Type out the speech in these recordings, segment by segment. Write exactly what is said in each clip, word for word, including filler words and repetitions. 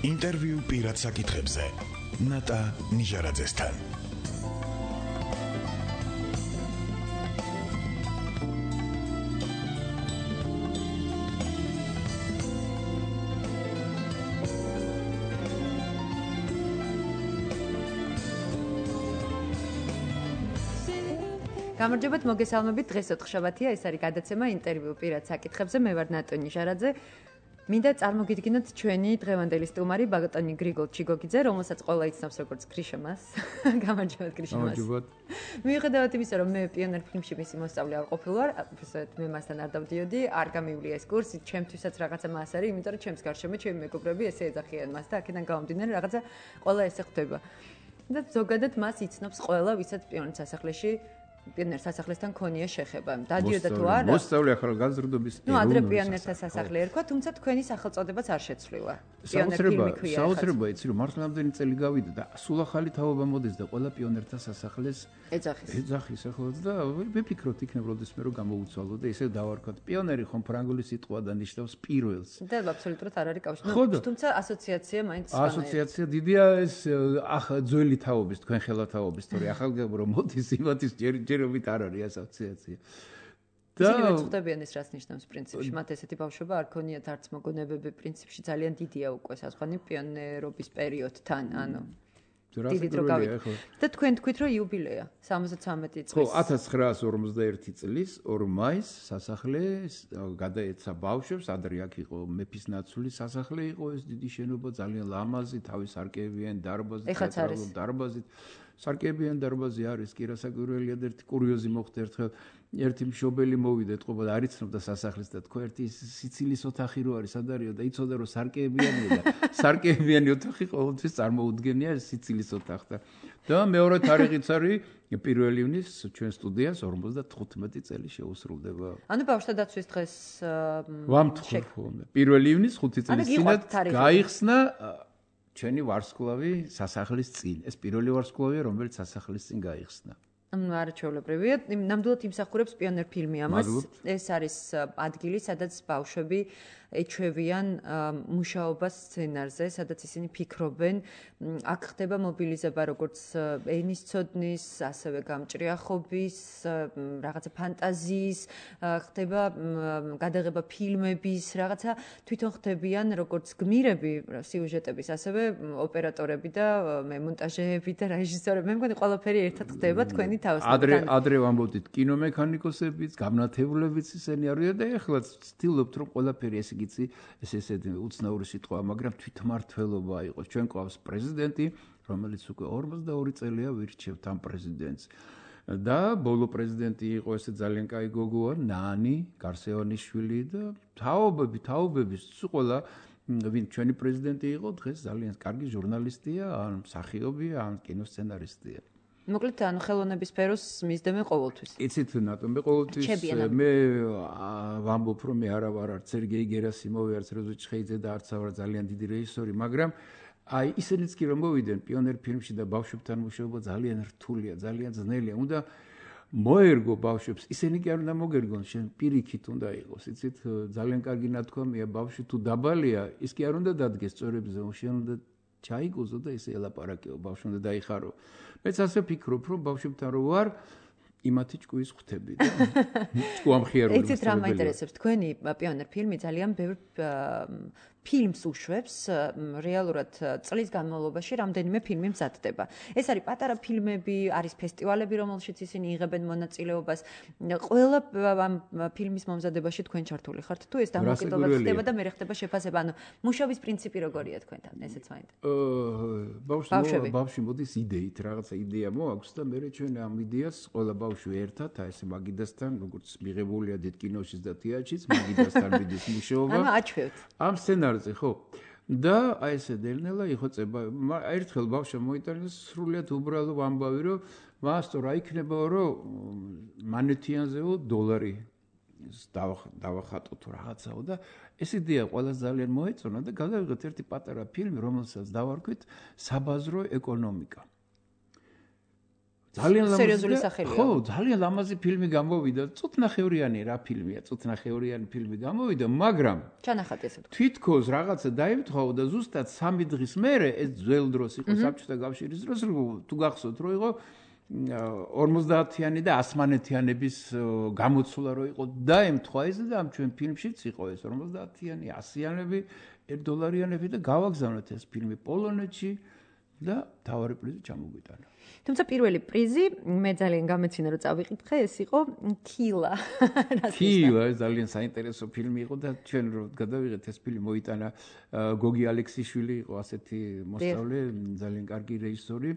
ინტერვიუ პირად საკითხებზე ნატა ნიჟარაძესთან. გამარჯობათ, მოგესალმებით. დღეს ოთხშაბათია, ეს არის გადაცემა ინტერვიუ პირად საკითხებზე. მე ვარ ნატა ნიჟარაძე. მინდა წარმოგიდგინოთ ჩვენი დღევანდელი სტუმარი ბატონი გრიგოლ ჩიგოგიძე, რომელსაც ყველა იცნობს როგორც გრიშამას. გამარჯობათ, გრიშამას. გამარჯობათ. მიუხედავად იმისა, რომ მე პიონერ ფილმში მისი მოსწავლე არ ყოფილი ვარ, უბრალოდ მე მასთან არ დავდიოდი, არ გამივლია ეს კურსი, ჩემთვისაც რაღაცა მას არის, იმიტომ რომ ჩემს გარშემო ჩემი მეგობრები ესე ეძახიან მას და აქედან გამომდინარე რაღაცა ყველა ესე ხვდება. და ზოგადად მას იცნობს ყველა, ვისაც პიონერ სასახლეში პიონერ სასახლესთან ქონია შეხება. დადიოდა თუ არა? მოსწავლე ახალგაზრდობის ნუ ადრე პიონერთა სასახლე ერქვა, თუმცა თქვენი სახელწოდებაც არ შეცვლილა. საოცრება, საოცრება იცი რომ მართლა ამდენი წელი გავიდა და სულ ახალი თაობა მოდის და ყველა პიონერთა სასახლეს ეძახის. ეძახის ახალაც და ვიფიქროთ იქნებ როდესმე რომ გამოუცვალო და ესე დავარქვათ. პიონერი ხომ ფრანგული სიტყვა და ნიშნავს პირველს. და აბსოლუტურად არ არის კავშირი. თუმცა ასოციაცია მაინც ასოციაცია დიდია ეს ახ ძველი თაობის, თქვენ ხელათაობის, თორე ახალგაზრდა რომ მოდის იმათის ჯერჯერობით არ არის ასოციაცია. და ისინი ვწვდებიან ეს რას ნიშნავს პრინციპში. მათ ესეთი ბავშვობა არ ქონიათ არც მოგონებები პრინციპში ძალიან დიდია უკვე საზღვარი პიონერობის პერიოდთან, ანუ დიდი დრო გავიდა. და თქვენ თქვით რომ იუბილეა სამოცდათვრამეტი წლის. ხო, ათას ცხრაას ორმოცდაერთი წლის ორ მაისს სასახლე გადაეცა ბავშვებს, ადრე აქ იყო მეფისნაცვლის სასახლე იყო ეს დიდი შენობა, ძალიან ლამაზი, თავის სარკეებიანი დარბაზით, თეატრალური დარბაზით. სარკეებიანი დარბაზი არის კი რასაკვირველია და ერთი კურიოზი მოხდა ერთხელ ერთი მშობელი მოვიდა ეთყობა და არ იცნობდა სასახლეს და თქვა ერთი სიცილის ოთახი რო არის სად არისო და იცოდა რომ სარკეებიანია და სარკეებიანი ოთახი ყოველთვის წარმოუდგენია სიცილის ოთახთან და მეორე თარიღიც არის პირველი ივნის ჩვენ სტუდიას ორმოცდათხუთმეტი წელი შეუსრულდება. ანუ ბავშვთა დაცვის დღეს ვამთხოვ პირველი ივნის ხუთი წლის წინათ გაიხსნა ჩვენი ვარსკვლავი სასახლის წინ. ეს პირველი ვარსკვლავია, რომელიც სასახლის წინ გაიხსნა. არაჩვეულებრივია. ნამდვილად იმსახურებს პიონერ ფილმი ამას. ეს არის ადგილი, სადაც ბავშვები ეჩვევიან მუშაობას სცენარზე, სადაც ისინი ფიქრობენ. აქ ხდება მობილიზება როგორც ენისცოდნის, ასევე გამჭრიახობის, რაღაცა ფანტაზიის, ხდება გადაღება ფილმების, რაღაცა თვითონ ხდებიან როგორც გმირები სიუჟეტების, ასევე ოპერატორები და მონტაჟეები და რეჟისორები. მე მგონი ყველაფერი ერთად ხდება თქვენი თავისთავად. ადრე ადრე ვამბობდით კინომექანიკოსებიც, გამნათებლებიც ისინი არიან და ეხლა ვცდილობთ რომ ყველაფერი ესე გიცი ეს ესეთი უცნაური სიტყვა, მაგრამ თვითმმართველობა იყოს. ჩვენ ყავს პრეზიდენტი, რომელიც უკვე ორმოცდაორი წელია ვირჩევთ ამ პრეზიდენტს. და ბოლო პრეზიდენტი იყო ესე ძალიან კაი გოგოა, ნანი გარსევანიშვილი და თაობები, თაობების ყველა ვინ ჩვენი პრეზიდენტი იყო, დღეს ძალიან კარგი ჟურნალისტია, ან მსახიობია, ან კინოსცენარისტია. მოკლედ ანუ ხელოვნების სფეროს მისდევენ ყოველთვის. იცით ნატო მე ყოველთვის მე ვამბობ რომ მე არა ვარ არც სერგეი გერასიმოვი, არც როზუჩხეიძე და არც ვარ ძალიან დიდი რეჟისორი, მაგრამ აი ისინიც კი რომ მოვიდნენ პიონერ ფილმში და ბავშვებთან მუშაობა ძალიან რთულია, ძალიან ძნელია. უნდა მოერგო ბავშვებს, ისინი კი არ უნდა მოგერგონ, შენ პირიქით უნდა იყოს. იცით ძალიან კარგი ნათქვამია, ბავშვი თუ დაბალია, ის კი არ უნდა დადგეს სწორებზე, შენ უნდა ჩაიგოზო და ესე ელაპარაკეო, ბავშვი უნდა დაიხარო. მეც ასე ვფიქრობ, რომ ბავშვებთან რო ვარ, იმათი ჭკუის ხვდები და ჭკუამხიარული. იცით რა მაინტერესებს, თქვენი პიონერ ფილმი ძალიან ბევრ ფილმს უშვებს, რეალურად წლის განმავლობაში რამდენიმე ფილმი მზადდება. ეს არის პატარა ფილმები, არის ფესტივალები, რომელშიც ისინი იღებენ მონაწილეობას. ყველა ამ ფილმის მომზადებაში თქვენ ჩართული ხართ თუ ეს დამოუკიდებლად ხდება და მე ხდება შეფასება, ანუ მუშაობის პრინციპი როგორია თქვენთან, ესეც მაინტერესებს. ბავშვი ბავშვი მოდის იდეით, რაღაცა იდეა მოაქვს და მე ჩვენ ამ იდეას ყველა ბავშვი ერთად, აი ესე მაგიდასთან, როგორც მიღებულია დიდ კინოშიც და თეატრშიც, მაგიდასთან მიდის მუშაობა. ანუ აჩვევთ. ამ სცენარზე ხო და აი ესე დელნელა იხოცება. ერთხელ ბავშვმა მოიტანა სრულიად უბრალო ამბავი, რომ მასტო რა იქნება, რომ მანეთიანზეო დოლარი დავახატო თუ რაღაცაო და ეს იდეა ყველას ძალიან მოეწონა და გადავიღეთ ერთი პატარა ფილმი, რომელსაც დავარქვით საბაზრო ეკონომიკა. ძალიან სერიოზული სახელია. ხო, ძალიან ლამაზი ფილმი გამოვიდა. წუთნახევრიანი რა ფილმია, წუთნახევრიანი ფილმი გამოვიდა, მაგრამ ჩანახატი ესე ვთქვი. თვითქოს რაღაცა დაემთხვა და ზუსტად სამი დღის მერე ეს ძველ დროს იყო საბჭოთა კავშირის დროს, თუ გახსოვთ, რომ იყო ორმოცდაათიანი და ასმანეთიანების გამოცვლა რო იყო დაემთხვა ეს და ამ ჩვენ ფილმშიც იყო ეს ორმოცდაათიანი, ასიანები, ერთ დოლარიანები და გავაგზავნეთ ეს ფილმი პოლონეთში და თავარი პრიზი ჩამოგვიტანა. თუმცა პირველი პრიზი მე ძალიან გამეცინა რომ წავიკითხე, ეს იყო კილა. კილა ეს ძალიან საინტერესო ფილმი იყო და ჩვენ რო გადავიღეთ ეს ფილმი მოიტანა გოგი ალექსიშვილი იყო ასეთი მოსწავლე, ძალიან კარგი რეჟისორი.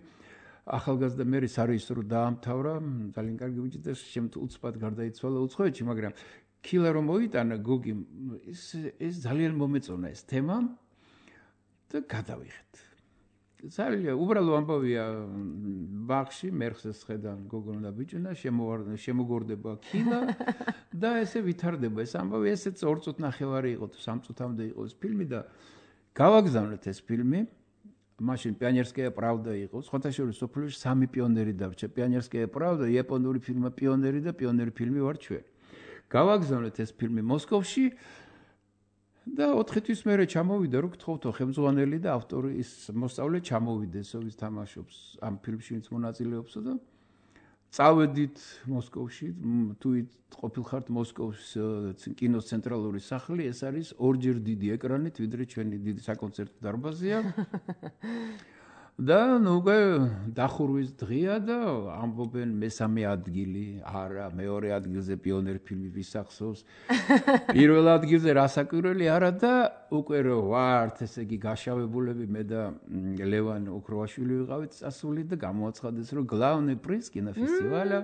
ახალგაზრდა მე სარეჟისორო დაამთავრა, ძალიან კარგი ბიჭი და შემთხვევით გარდაიცვალა უცხოეთში, მაგრამ კილა რომ მოიტანა გოგი ეს ეს ძალიან მომეწონა ეს თემა და გადავიღეთ. ძალიან უბრალო ამბავია ბაღში მერხეს ხედა გოგონა და ბიჭუნა შემოგორდება კილა და ესე ვითარდება ეს ამბავი ესეც ორ წუთ ნახევარი იყო თუ სამ წუთამდე იყო ეს ფილმი და გავაგზავნეთ ეს ფილმი მაშინ პიონერსკая правда იყო სხვათა შორის სოფლიოში სამი პიონერი დარჩა პიონერსკая правда იაპონური ფილმი პიონერი და პიონერი ფილმი ვარ ჩვენ გავაგზავნეთ ეს ფილმი მოსკოვში და ოთხი თვის მერე ჩამოვიდა რომ გთხოვთო ხელმძღვანელი და ავტორი ის მოსწავლე ჩამოვიდეს ვის თამაშობს ამ ფილმში ვინც მონაწილეობსო და წავედით მოსკოვში თუ ყოფილხართ მოსკოვის კინოს ცენტრალური სახლი ეს არის ორჯერ დიდი ეკრანით ვიდრე ჩვენი დიდი საკონცერტო დარბაზია და ნუ უკვე დახურვის დღეა და ამბობენ მესამე ადგილი არა მეორე ადგილზე პიონერი ფილმი ვისახსოვს პირველ ადგილზე რასაკვირველი არა და უკვე რო ვართ ესე იგი გაშავებულები მე და ლევან ოქროვაშვილი ვიყავით წასული და გამოაცხადეს რომ გლავნე პრიზ კინოფესტივალა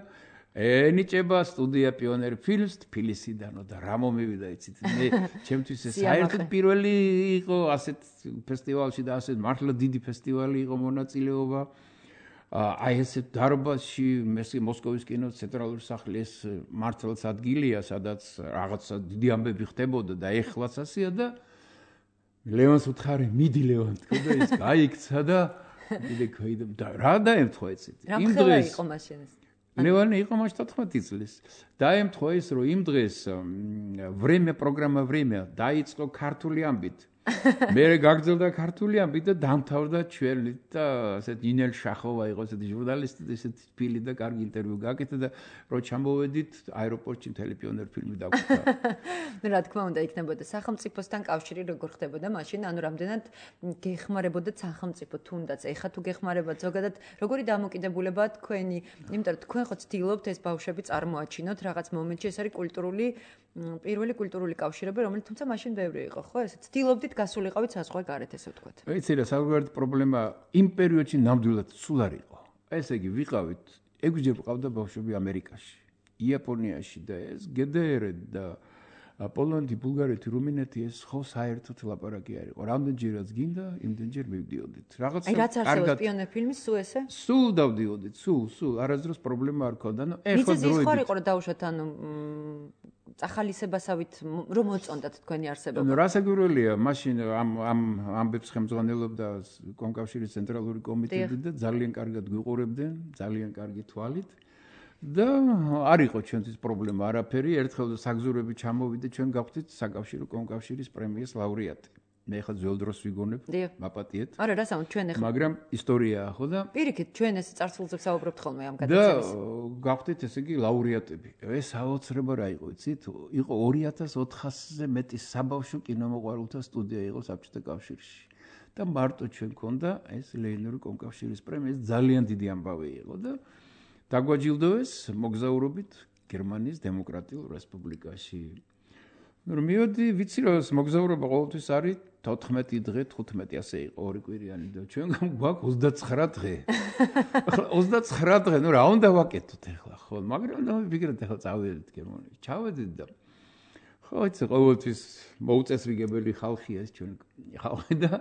ენიჭება სტუდია პიონერი ფილმს თბილისიდანო და რა მომივიდა იცით მე ჩემთვის ეს საერთოდ პირველი იყო ასეთ ფესტივალში და ასეთ მართლა დიდი ფესტივალი იყო მონაწილეობა აი ესეთ დარბაზში მესი მოსკოვის კინოს ცენტრალური სახლი ეს მართლაც ადგილია სადაც რაღაცა დიდი ამბები ხდებოდა და ეხლაც ასეა და ლევანს უთხარი მიდი ლევან თქო და ის გაიქცა და მე ქოიდო და რა დაემთხვა იცით იმ დღეს იყო მაშინ ეს ლევანი იყო მაშინ თოთხმეტი წლის. დაემთხვა ის, რომ იმ დღეს время პროგრამა время დაიწყო ქართული ამბით. მე გაგრძელდა ქართული ამბით და დამთავრდა ჩვენი და ასეთ ნინელ შახოვა იყო ესეთი ჟურნალისტი და ესეთი ფილი და კარგი ინტერვიუ გააკეთა და რო ჩამოვედით აეროპორტში მთელი პიონერ ფილმი დაგვიწყდა. ნუ რა თქმა უნდა იქნებოდა სახელმწიფოსთან კავშირი როგორ ხდებოდა მაშინ ანუ რამდენად გეხმარებოდა სახელმწიფო თუნდაც ეხა თუ გეხმარებათ ზოგადად როგორი დამოკიდებულებაა თქვენი იმიტომ რომ თქვენ ხო ცდილობთ ეს ბავშვები წარმოაჩინოთ რაღაც მომენტში ეს არის კულტურული პირველი კულტურული კავშირები რომელიც თუმცა მაშინ ბევრი იყო ხო ესე ცდილობდით გასულიყავით საზღვარგარეთ ესე ვთქვათ. ეცი რა საზღვარგარეთ პრობლემა იმ პერიოდში ნამდვილად სულ არ იყო. ესე იგი ვიყავით ექვსჯერ ვყავდა ბავშვები ამერიკაში, იაპონიაში და ეს გდრ და პოლონეთი, ბულგარეთი, რუმინეთი ეს ხო საერთოდ ლაპარაკი არ იყო. რამდენჯერაც გინდა, იმდენჯერ მივდიოდით. რაღაცა აი რაც არსებობს პიონერ ფილმის სულ ესე? სულ დავდიოდით, სულ, სულ, არასდროს პრობლემა არ ქონდა. ნუ ეხლა დროებით. ის ხო იყო რომ დაუშვათ ანუ წახალისებასავით რომ მოწონდათ თქვენი არსებობა. ნუ რასაკვირველია, მაშინ ამ ამ ამბებს ხელმძღვანელობდა კონკავშირის ცენტრალური კომიტეტი და ძალიან კარგად გვიყურებდნენ, ძალიან კარგი თვალით. და არ იყო ჩვენთვის პრობლემა არაფერი, ერთხელ საგზურები ჩამოვიდა, ჩვენ გავხდით საკავშირო კონკავშირის პრემიის ლაურეატი. მე ხა ძველ დროს ვიგონებ, მაპატიეთ. არა, რა სამო ჩვენ ახლა. მაგრამ ისტორიაა ხო და პირიქით ჩვენ ეს წარსულზე ვსაუბრობთ ხოლმე ამ გადაცემის. და გავხდით ესე იგი ლაურეატები. ეს აუცილებლობა რა იყო, იცით? იყო ორი ათას ოთხასზე მეტი საბავშვო კინომოყვარულთა სტუდია იყო საბჭოთა კავშირში. და მარტო ჩვენ ქონდა ეს ლეონორი კონკავშირის პრემია, ეს ძალიან დიდი ამბავი იყო და დაგვაჯილდოეს მოგზაურობით გერმანიის დემოკრატიულ რესპუბლიკაში. ნუ მივედი, ვიცი რომ მოგზაურობა ყოველთვის არის თოთხმეტი დღე, თხუთმეტი ასე იყო ორი კვირიანი და ჩვენ გვაქვს ოცდაცხრა დღე. ახლა ოცდაცხრა დღე, ნუ რა უნდა ვაკეთოთ ახლა, ხო? მაგრამ და ვიგრეთ ახლა წავედით გერმანიაში. ჩავედით და ხო, იცი ყოველთვის მოუწესრიგებელი ხალხია ეს ჩვენ ხალხი და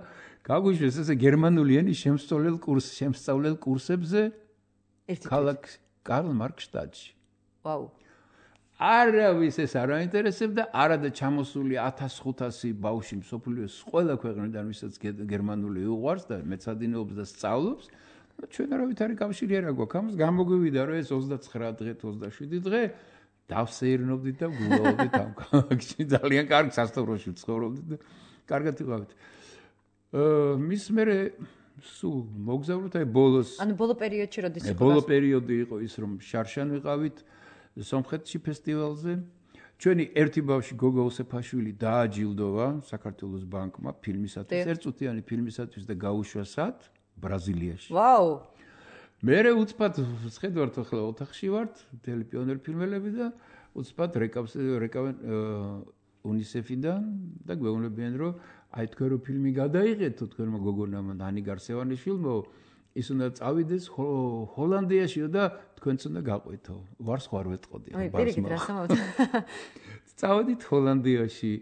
გაგვიშვეს ესე გერმანული ენის შემსწავლელ კურს, შემსწავლელ კურსებზე ქალაქ კარლ მარკშტადტში. ვაუ. არავის ეს არ აინტერესებდა, არა და ჩამოსული ათას ხუთასი ბავშვი მსოფლიოს ყველა ქვეყნიდან, ვისაც გერმანული უყვარს და მეცადინეობს და სწავლობს ჩვენ არავით არის კავშირი არა გვაქვს ამას გამოგვივიდა რომ ეს ოცდაცხრა დღე ოცდაშვიდი დღე დავსეირნობდით და გულაობდით ამ ქალაქში ძალიან კარგ სასტუმროში ცხოვრობდით და კარგად ვიყავით მის მერე სულ მოგზაურობთ აი ბოლოს ანუ ბოლო პერიოდში როდის იყო ბოლო პერიოდი იყო ის რომ შარშან ვიყავით სომხეთში ფესტივალზე ჩვენი ერთი ბავშვი გოგო ოსეფაშვილი დააჯილდოვა საქართველოს ბანკმა ფილმისათვის ერთწუთიანი ფილმისათვის და გაუშვა სად ბრაზილიაში ვაუ მერე უცბად შეხედავთ ახლა ოთახში ვართ მთელი პიონერ ფილმელები და უცბად რეკავს რეკავენ უნისეფიდან და გვეუბნებიან რომ აი თქვენ რო ფილმი გადაიღეთო თქვენმა გოგონამ დანი გარსევანიშვილმა ის უნდა წავიდეს ჰოლანდიაშიო და თქვენც უნდა გაყვეთო ვარს ხარ ვეტყოდი აი პირიქით რა სამოვთ წავედით ჰოლანდიაში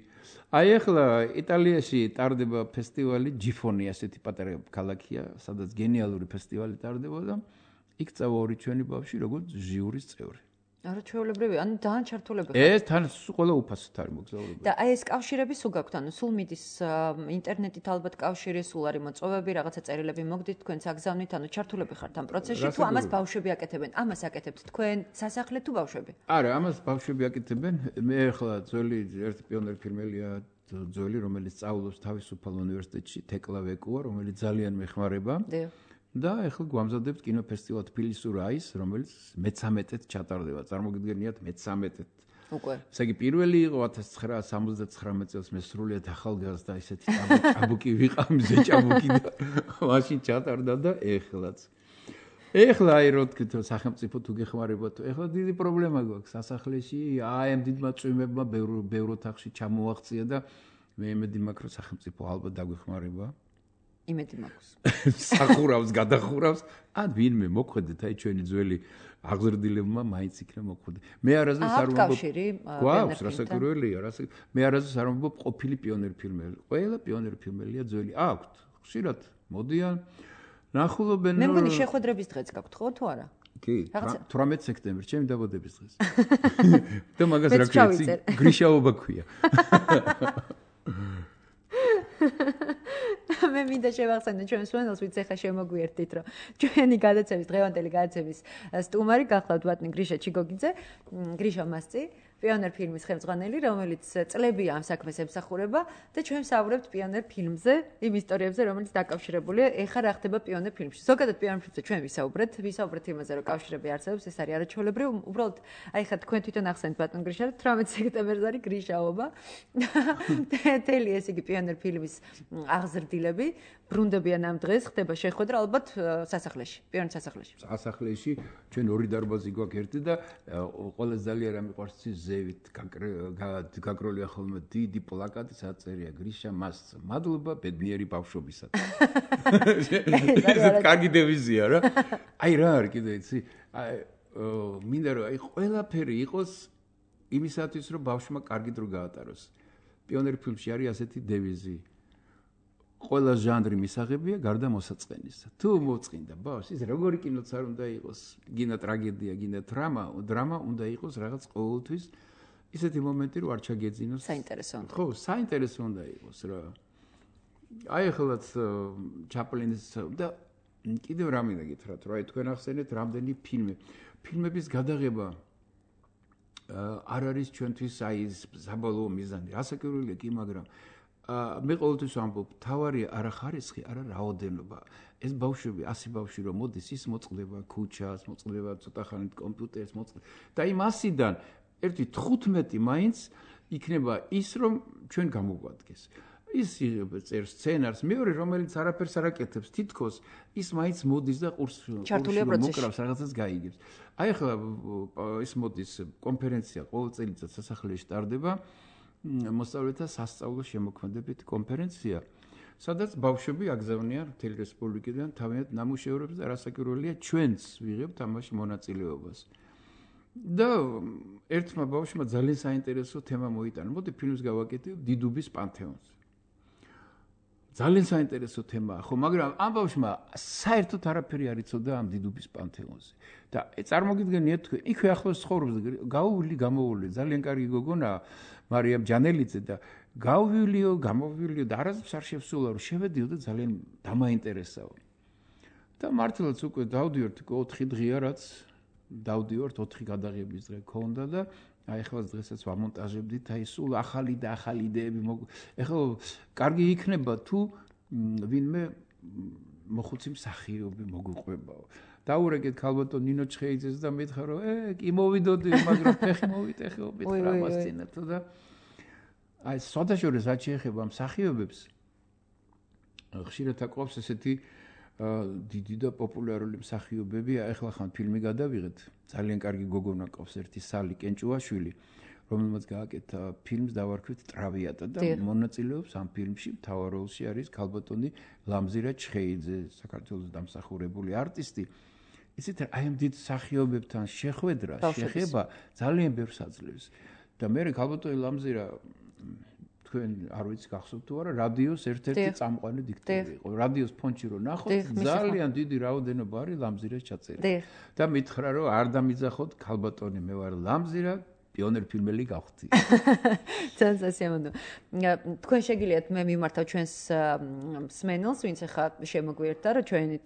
აი ახლა იტალიაში ტარდება ფესტივალი ჯიფონი ასეთი პატარა ქალაქია სადაც გენიალური ფესტივალი ტარდება და იქ წავა ორი ჩვენი ბავშვი როგორც ჟიურის წევრი არა ჩვეულებრივი ანუ ძალიან ჩართულები ეს თან ყველა უფასოდ არის მოგზაურობა და აი ეს კავშირები სულ გაქვთ ანუ სულ მიდის ინტერნეტით ალბათ კავშირი სულ არის მოწვევები რაღაცა წერილები მოგდით თქვენც აგზავნით ანუ ჩართულები ხართ ამ პროცესში თუ ამას ბავშვები აკეთებენ ამას აკეთებთ თქვენ სასახლე თუ ბავშვები არა ამას ბავშვები აკეთებენ მე ახლა ძველი ერთი პიონერ ფილმელია ძველი რომელიც სწავლობს თავისუფალ უნივერსიტეტში თეკლა ვეკუა რომელიც ძალიან მეხმარება და ახლა გვამზადებთ კინოფესტივალ თბილისურ აის რომელიც მეცამეტედ ჩატარდება წარმოგიდგენიათ მეცამეტედ უკვე ესე იგი პირველი იყო ათას ცხრაასი სამოცდათხრამეტ წელს მე სრულიად ახალგაზრდა ისეთი ჭაბუკი ვიყავ მზე ჭაბუკი და მაშინ ჩატარდა და ეხლაც ეხლა აი რო თქვით სახელმწიფო თუ გეხმარებათ ეხლა დიდი პრობლემა გვაქვს სასახლეში აი ამ დიდმა წვიმებმა ბევრ ბევრ ოთახში ჩამოაღწია და მე იმედი მაქვს რომ სახელმწიფო ალბათ დაგვეხმარება იმედი მაქვს სახურავს გადახურავს ან ვინმე მოხვედეთ აი ჩვენი ძველი აღზრდილებმა მაინც იქნება მოხვედე მე არასდროს არ ვამბობ გვაქვს რასაკვირველია რასა მე არასდროს არ ვამბობ ყოფილი პიონერ ფილმელი ყველა პიონერ ფილმელია ძველი აქვთ ხშირად მოდიან ნახულობენ მე მგონი შეხვედრების დღეც გაქვთ ხო თუ არა კი თვრამეტ სექტემბერს ჩემი დაბადების დღეს და მაგას რა ქვია გრიშაობა ქვია მე მინდა შევახსენო ჩვენ სვენელს ვიც ახლა შემოგვიერთდით რომ ჩვენი გადაცემის დღევანდელი გადაცემის სტუმარი გახლავთ ბატონი გრიშა ჩიგოგიძე გრიშა მასწი პიონერ ფილმის ხელმძღვანელი რომელიც წლებია ამ საქმეს ემსახურება და ჩვენ ვსაუბრებთ პიონერ ფილმზე იმ ისტორიებზე რომელიც დაკავშირებულია ეხლა რა ხდება პიონერ ფილმში ზოგადად პიონერ ფილმზე ჩვენ ვისაუბრეთ ვისაუბრეთ იმაზე რომ კავშირები არსებობს ეს არის არაჩვეულებრივი უბრალოდ აი ხა თქვენ თვითონ ახსენეთ ბატონ გრიშა თვრამეტ სექტემბერს არის გრიშაობა თელი ეს იგი პიონერ ფილმის აღზრდილები ბრუნდებიან ამ დღეს ხდება შეხვედრა ალბათ სასახლეში პიონერ სასახლეში სასახლეში ჩვენ ორი დარბაზი გვაქვს ერთი და ყველაზე ძალიან რა მიყვარს ზევით გაგროლია ხოლმე დიდი პლაკატი საწერია გრიშა მას მადლობა ბედნიერი ბავშვობისათვის ეს კარგი დევიზია რა აი რა არის კიდე იცი აი მინდა რომ აი ყველაფერი იყოს იმისათვის რომ ბავშვმა კარგი დრო გაატაროს პიონერ ფილმში არის ასეთი დევიზი ყველა ჟანრი მისაღებია გარდა მოსაწყენისა. თუ მოწყინდა ბავშვს, ის როგორი კინოც არ უნდა იყოს, გინდა ტრაგედია, გინდა დრამა, დრამა უნდა იყოს რაღაც ყოველთვის ისეთი მომენტი, რომ არ ჩაგეძინოს. საინტერესო უნდა. ხო, საინტერესო უნდა იყოს რა. აი ახალაც ჩაპლინის და კიდევ რა მინდა გითხრათ, რა თქვენ ახსენეთ რამდენი ფილმი. ფილმების გადაღება არ არის ჩვენთვის აი ეს საბოლოო მიზანი. რასაკვირველია კი, მაგრამ მე ყოველთვის ვამბობ, თავარი არა ხარისხი, არა რაოდენობა. ეს ბავშვები, ასი ბავშვი რომ მოდის, ის მოწყდება ქუჩას, მოწყდება ცოტა ხანით კომპიუტერს, მოწყდება. და იმ ასიდან ერთი თხუთმეტი მაინც იქნება ის, რომ ჩვენ გამოგვადგეს. ის წერს სცენარს, მეორე რომელიც არაფერს არ აკეთებს, თითქოს ის მაინც მოდის და ყურს მოკრავს, რაღაცას გაიგებს. აი ახლა ის მოდის კონფერენცია ყოველ წელიწადს სასახლეში ტარდება. მოსწავლეთა სასწავლო შემოქმედებით კონფერენცია, სადაც ბავშვები აგზავნიან მთელი რესპუბლიკიდან თავიანთ ნამუშევრებს და რასაკვირველია ჩვენც ვიღებთ ამაში მონაწილეობას. და ერთმა ბავშვმა ძალიან საინტერესო თემა მოიტანა. მოდი ფილმს გავაკეთებ დიდუბის პანთეონზე. ძალიან საინტერესო თემაა, ხო, მაგრამ ამ ბავშვმა საერთოდ არაფერი არ იცოდა ამ დიდუბის პანთეონზე. და წარმოგიდგენიათ თქვენ, იქვე ახლოს ცხოვრობს, გაუვილი, გამოუვილი, ძალიან კარგი გოგონაა, მარიამ ჯანელიძე და გავილიო, გამოვილიო და არასდროს არ შევსულა, რომ შევედიო და ძალიან დამაინტერესაო. და მართლაც უკვე დავდივართ ოთხი დღეა რაც დავდივართ ოთხი გადაღების დღე ქონდა და აი ახლა დღესაც ვამონტაჟებდით აი სულ ახალი და ახალი იდეები ეხლა კარგი იქნება თუ ვინმე მოხუცი მსახიობი მოგუყვებაო დაურეკეთ ქალბატონ ნინო ჩხეიძეს და მითხრა რომ ე კი მოვიდოდი მაგრამ ფეხი მოვიტეხეობით რამასწინა თუ და აი სოდაშორის რაც შეეხება მსახიობებს ხშირად აკვავს ესეთი დიდი და პოპულარული მსახიობები ახლა ხან ფილმი გადავიღეთ ძალიან კარგი გოგონა ყავს ერთი სალი კენჭუაშვილი რომელმაც გააკეთა ფილმს დავარქვით ტრავიატა და მონაწილეობს ამ ფილმში მთავარ როლში არის ქალბატონი ლამზირა ჩხეიძე საქართველოს დამსახურებული არტისტი ისეთ აი ამ დიდ მსახიობებთან შეხვედრა შეხება ძალიან ბევრს აძლევს და მე ქალბატონი ლამზირა თქვენ არ ვიცი გახსოვთ თუ არა რადიოს ერთ-ერთი წამყვანი დიქტორი იყო რადიოს ფონჩი რო ნახოთ ძალიან დიდი რაოდენობა არის ლამზირას ჩაწერილი და მითხრა რომ არ დამიძახოთ ქალბატონი მე ვარ ლამზირა პიონერ ფილმელი გავხდი. ძალიან სასიამოვნო. თქვენ შეგიძლიათ მე მიმართავ ჩვენს მსმენელს, ვინც ახლა შემოგვიერთდა, რომ ჩვენი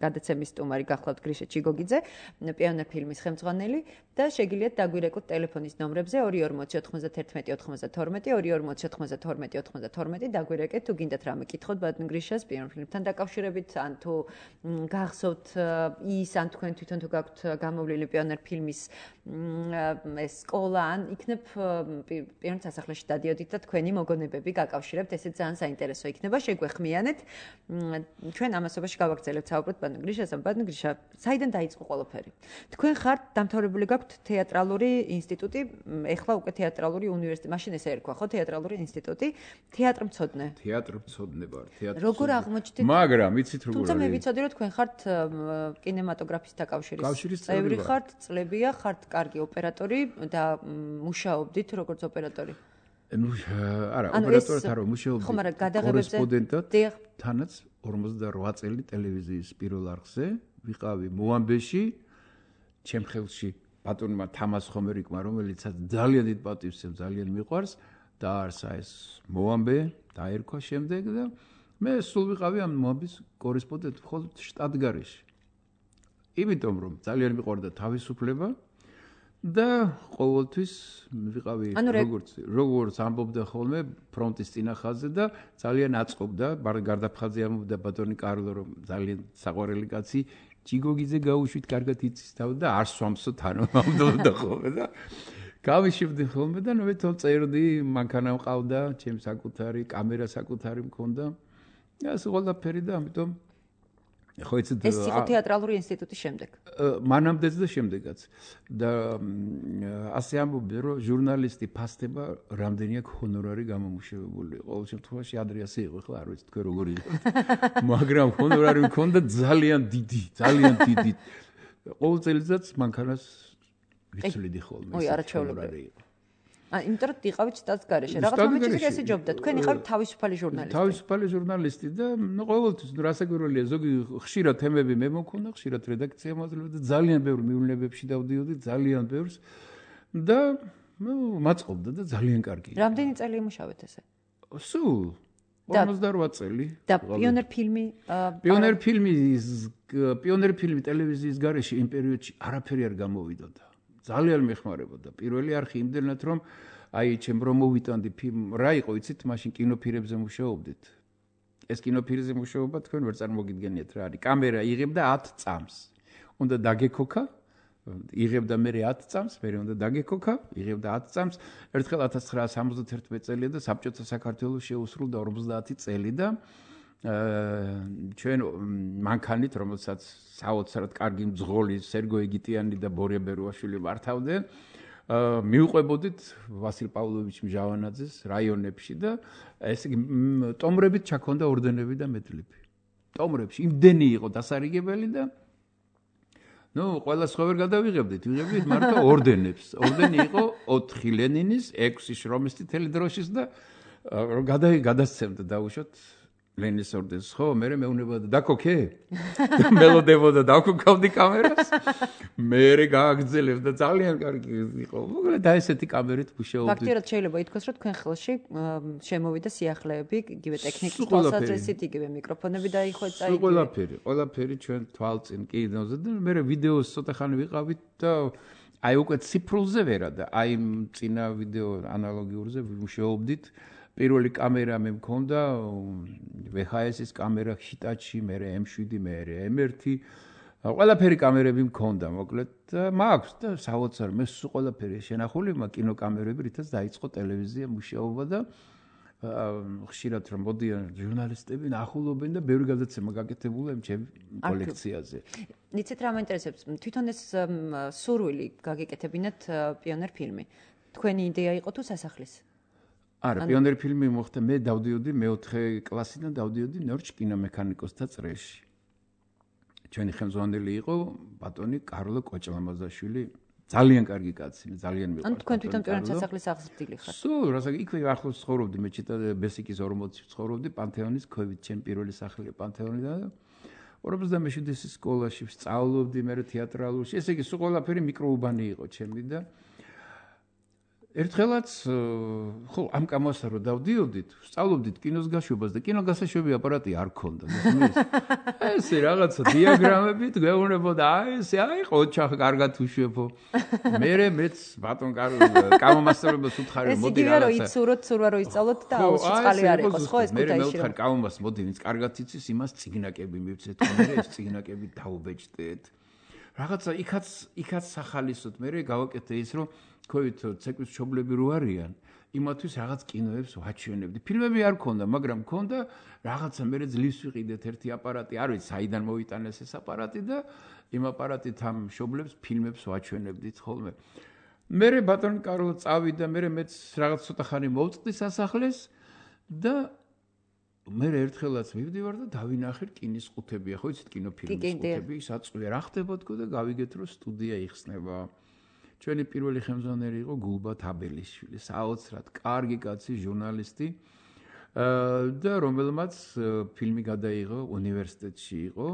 გადაცემის სტუმარი გახლავთ გრიშა ჩიგოგიძე, პიონერ ფილმის ხელმძღვანელი და შეგიძლიათ დაგვირეკოთ ტელეფონის ნომრებზე ორი ორმოცი ოთხმოცდაერთმეტი ოთხმოცდათორმეტი ორი ორმოცი ოთხმოცდათორმეტი ოთხმოცდათორმეტი დაგვირეკეთ თუ გინდათ რამე კითხოთ ბატონ გრიშას პიონერ ფილმთან დაკავშირებით ან თუ გახსოვთ ის ან თქვენ თვითონ თუ გაქვთ გამოვლილი პიონერ ფილმის ეს სკოლა ან იქნებ პიონერ სასახლეში დადიოდით და თქვენი მოგონებები გაკავშირებთ ესე ძალიან საინტერესო იქნება შეგვეხმიანეთ ჩვენ ამასობაში გავაგრძელებთ საუბრობთ ბატონ გრიშასთან ბატონ გრიშა საიდან დაიწყო ყველაფერი თქვენ ხართ დამთავრებული გაქვთ თეატრალური ინსტიტუტი ეხლა უკვე თეატრალური უნივერსიტეტი მაშინ ესე ერქვა ხო თეატრალური ინსტიტუტი თეატრმცოდნე თეატრმცოდნე ვარ თეატრ როგორ აღმოჩნდით მაგრამ იცით როგორ თუმცა მე ვიცოდი რომ თქვენ ხართ კინემატოგრაფისტთა კავშირის წევრი ხართ წლებია ხართ კარგი ოპერატორი და მუშაობდით როგორც ოპერატორი ну არა ოპერატორად არ მუშაობდი ხომ არა გადაღებებზე კორესპონდენტად თანაც ორმოცდაოთხ წელი ტელევიზიის პირველ არხზე ვიყავი მოამბეში ჩემ ხელში ბატონმა თამას ხომერიკმა რომელიც ძალიან დიდ პატივს ემ ძალიან მიყვარს და არსა ეს მოამბე დაერქვა შემდეგ და მე სულ ვიყავი ამ მოამბის კორესპონდენტი მხოლოდ შტატგარეში იმიტომ რომ ძალიან მიყვარდა თავისუფლება და ყოველთვის ვიყავი როგორც როგორც ამბობდა ხოლმე ფრონტის წინახაზე და ძალიან აწყობდა გარდაფხაზე ამბობდა ბატონი კარლო რომ ძალიან საყვარელი კაცი ჩიგოგიძე გაუშვით კარგად იცის თავ და არ სვამსო თანო ამბობდა ხოლმე და გავიშვდი ხოლმე და მე თვითონ წერდი მანქანა მყავდა ჩემს საკუთარი კამერა საკუთარი მქონდა და ეს ყველაფერი და ამიტომ ხო იცით ეს იყო თეატრალური ინსტიტუტის შემდეგ მანამდეც და შემდეგაც და ასე ამბობდნენ რომ ჟურნალისტი ფასდება რამდენი აქვს ჰონორარი გამომუშავებული ყოველ შემთხვევაში ადრე ასე იყო ხო არ ვიცი თქვენ როგორ იყავთ მაგრამ ჰონორარი მქონდა ძალიან დიდი ძალიან დიდი ყოველ წელიწადს მანქანას ვიცვლიდი ხოლმე ой არაჩვეულებრივი ა იმიტომ რომ იყავით შტატგარეში რაღაც მომენტში ესე ჯობდა თქვენ იყავით თავისუფალი ჟურნალისტი თავისუფალი ჟურნალისტი და ნუ ყოველთვის ნუ რასაკვირველია ზოგი ხშირად თემები მე მქონდა ხშირად რედაქცია მაძლევდა და ძალიან ბევრ მივნებებში დავდიოდი ძალიან ბევრს და ნუ მაწყობდა და ძალიან კარგი რამდენი წელი იმუშავეთ ესე სულ ორმოცდაოთხ წელი და პიონერ ფილმი პიონერ ფილმი პიონერ ფილმი ტელევიზიის გარეშე იმ პერიოდში არაფერი არ გამოვიდოდა ძალიან მეხმარებოდა პირველი არხი იმდენად რომ აი ჩემ რომ მოვიტანდი ფილმ რა იყო იცით მაშინ კინოფირებზე მუშაობდით ეს კინოფირზე მუშაობა თქვენ ვერ წარმოგიდგენიათ რა არის კამერა იღებდა ათ წამს უნდა დაგეკოქა იღებდა მე ათ წამს მე უნდა დაგეკოქა იღებდა ათ წამს ერთხელ ათას ცხრაასი სამოცდათერთმეტი წელია და საბჭოთა საქართველოს შეუსრულდა ორმოცდაათი წელი და ჩვენ მანქანით რომელსაც საოცრად კარგი მძღოლი სერგო ეგიტიანი და ბორია ბერუაშვილი მართავდნენ მიუყვებოდით ვასილ პავლოვიჩ მჟავანაძეს რაიონებში და ესე იგი ტომრებით ჩაქონდა ორდენები და მედლები ტომრებში იმდენი იყო დასარიგებელი და ნუ ყველა სხვა ვერ გადავიღებდით ვიღებდით მარტო ორდენებს ორდენი იყო ოთხი ლენინის ექვსი შრომის წითელი დროშის და რომ გადასცემდა დაუშვათ ლენის ორდენს ხო მე მეუბნება დაკოქე მელოდებოდა დაკოქავდი კამერას მე გააგრძელებდა ძალიან კარგი იყო მოკლედ და ესეთი კამერით მუშაობდი ფაქტიურად შეიძლება ითქვას რომ თქვენ ხელში შემოვიდა სიახლეები იგივე ტექნიკის თვალსაზრისით იგივე მიკროფონები დაიხვეწა იგივე ყველაფერი ყველაფერი ჩვენ თვალწინ კიდევ და მე ვიდეოს ცოტა ხანი ვიყავით და აი უკვე ციფრულზე ვერა და აი წინა ვიდეო ანალოგიურზე ვიმუშაობდით პირველი კამერა მე მქონდა ვე ხ ეს-ის კამერა ჰიტაჩი, მე ემ შვიდი, მე ემ ერთი. ყველაფერი კამერები მქონდა, მოკლედ და მაქვს და საოცარ მე სულ ყველაფერი შენახული, მაგ კინოკამერები, რითაც დაიწყო ტელევიზია მუშაობა და ხშირად რომ მოდიან ჟურნალისტები ნახულობენ და ბევრი გადაცემა გაკეთებულა იმ ჩემ კოლექციაზე. იცით რა მაინტერესებს? თვითონ ეს სურვილი გაგეკეთებინათ პიონერ ფილმი. თქვენი იდეა იყო თუ სასახლის? არა, პიონერ ფილმი მოხდა მე დავდიოდი მეოთხე კლასიდან დავდიოდი ნორჩ კინომექანიკოსთა წრეში. ჩვენი ხელმძღვანელი იყო ბატონი კარლო კოჭლამაზაშვილი, ძალიან კარგი კაცი, ძალიან მიყვარს. ანუ თქვენ თვითონ პიონერ სასახლის აღზრდილი ხართ? სულ, რასაც იქვე ახლოს ცხოვრობდი, მე ჩიტა ბესიკის ორმოცი ცხოვრობდი პანთეონის ქვევით, ჩემი პირველი სახლია პანთეონიდან. ორმოცდამეშვიდის სკოლაში სწავლობდი, მე თეატრალურში, ესე იგი სულ ყველაფერი მიკროუბანი იყო ჩემი და ერთხელაც ხო ამ კამასა რო დავდიოდით, სწავლობდით კინოს გაშვებას და კინოგასაშვები აპარატი არ ქონდა. ესე რაღაცა დიაგრამებით გვეუბნებოდა, აი ესე აი ყოჩახ კარგად უშვებო. მერე მეც ბატონ კამომასწავლებლებს უთხარი მოდი რაღაცა. ეს იგივე რო იცუროთ, ცურვა რო ისწავლოთ და აუცილებლად წყალი არ იყოს, ხო ეს კუთაისში. მე მეუთხარ კამომას მოდი ვინც კარგად იცის, იმას ციგნაკები მივცეთ, მე ეს ციგნაკები დავუბეჭდეთ. რაღაცა იქაც იქაც სახალისოდ მე გავაკეთე ის რომ ქვევით ცეკვის მშობლები რო არიან იმათვის რაღაც კინოებს ვაჩვენებდი ფილმები არ ქონდა მაგრამ ქონდა რაღაცა მე ძლივს ვიყიდეთ ერთი აპარატი არ ვიცი საიდან მოვიტანეს ეს აპარატი და იმ აპარატით ამ მშობლებს ფილმებს ვაჩვენებდით ხოლმე მე ბატონ კარლო წავიდა მე მეც რაღაც ცოტა ხანი მოვწყდი სასახლეს და მე ერთხელაც მივდივარ და დავინახე რკინის ყუთები, ხო იცით კინოფილმის ყუთები, საწვე რა ხდება თქო და გავიგეთ რომ სტუდია იხსნება. ჩვენი პირველი ხელმძღვანელი იყო გულბათ აბელიშვილი, საოცრად კარგი კაცი, ჟურნალისტი და რომელმაც ფილმი გადაიღო უნივერსიტეტში იყო,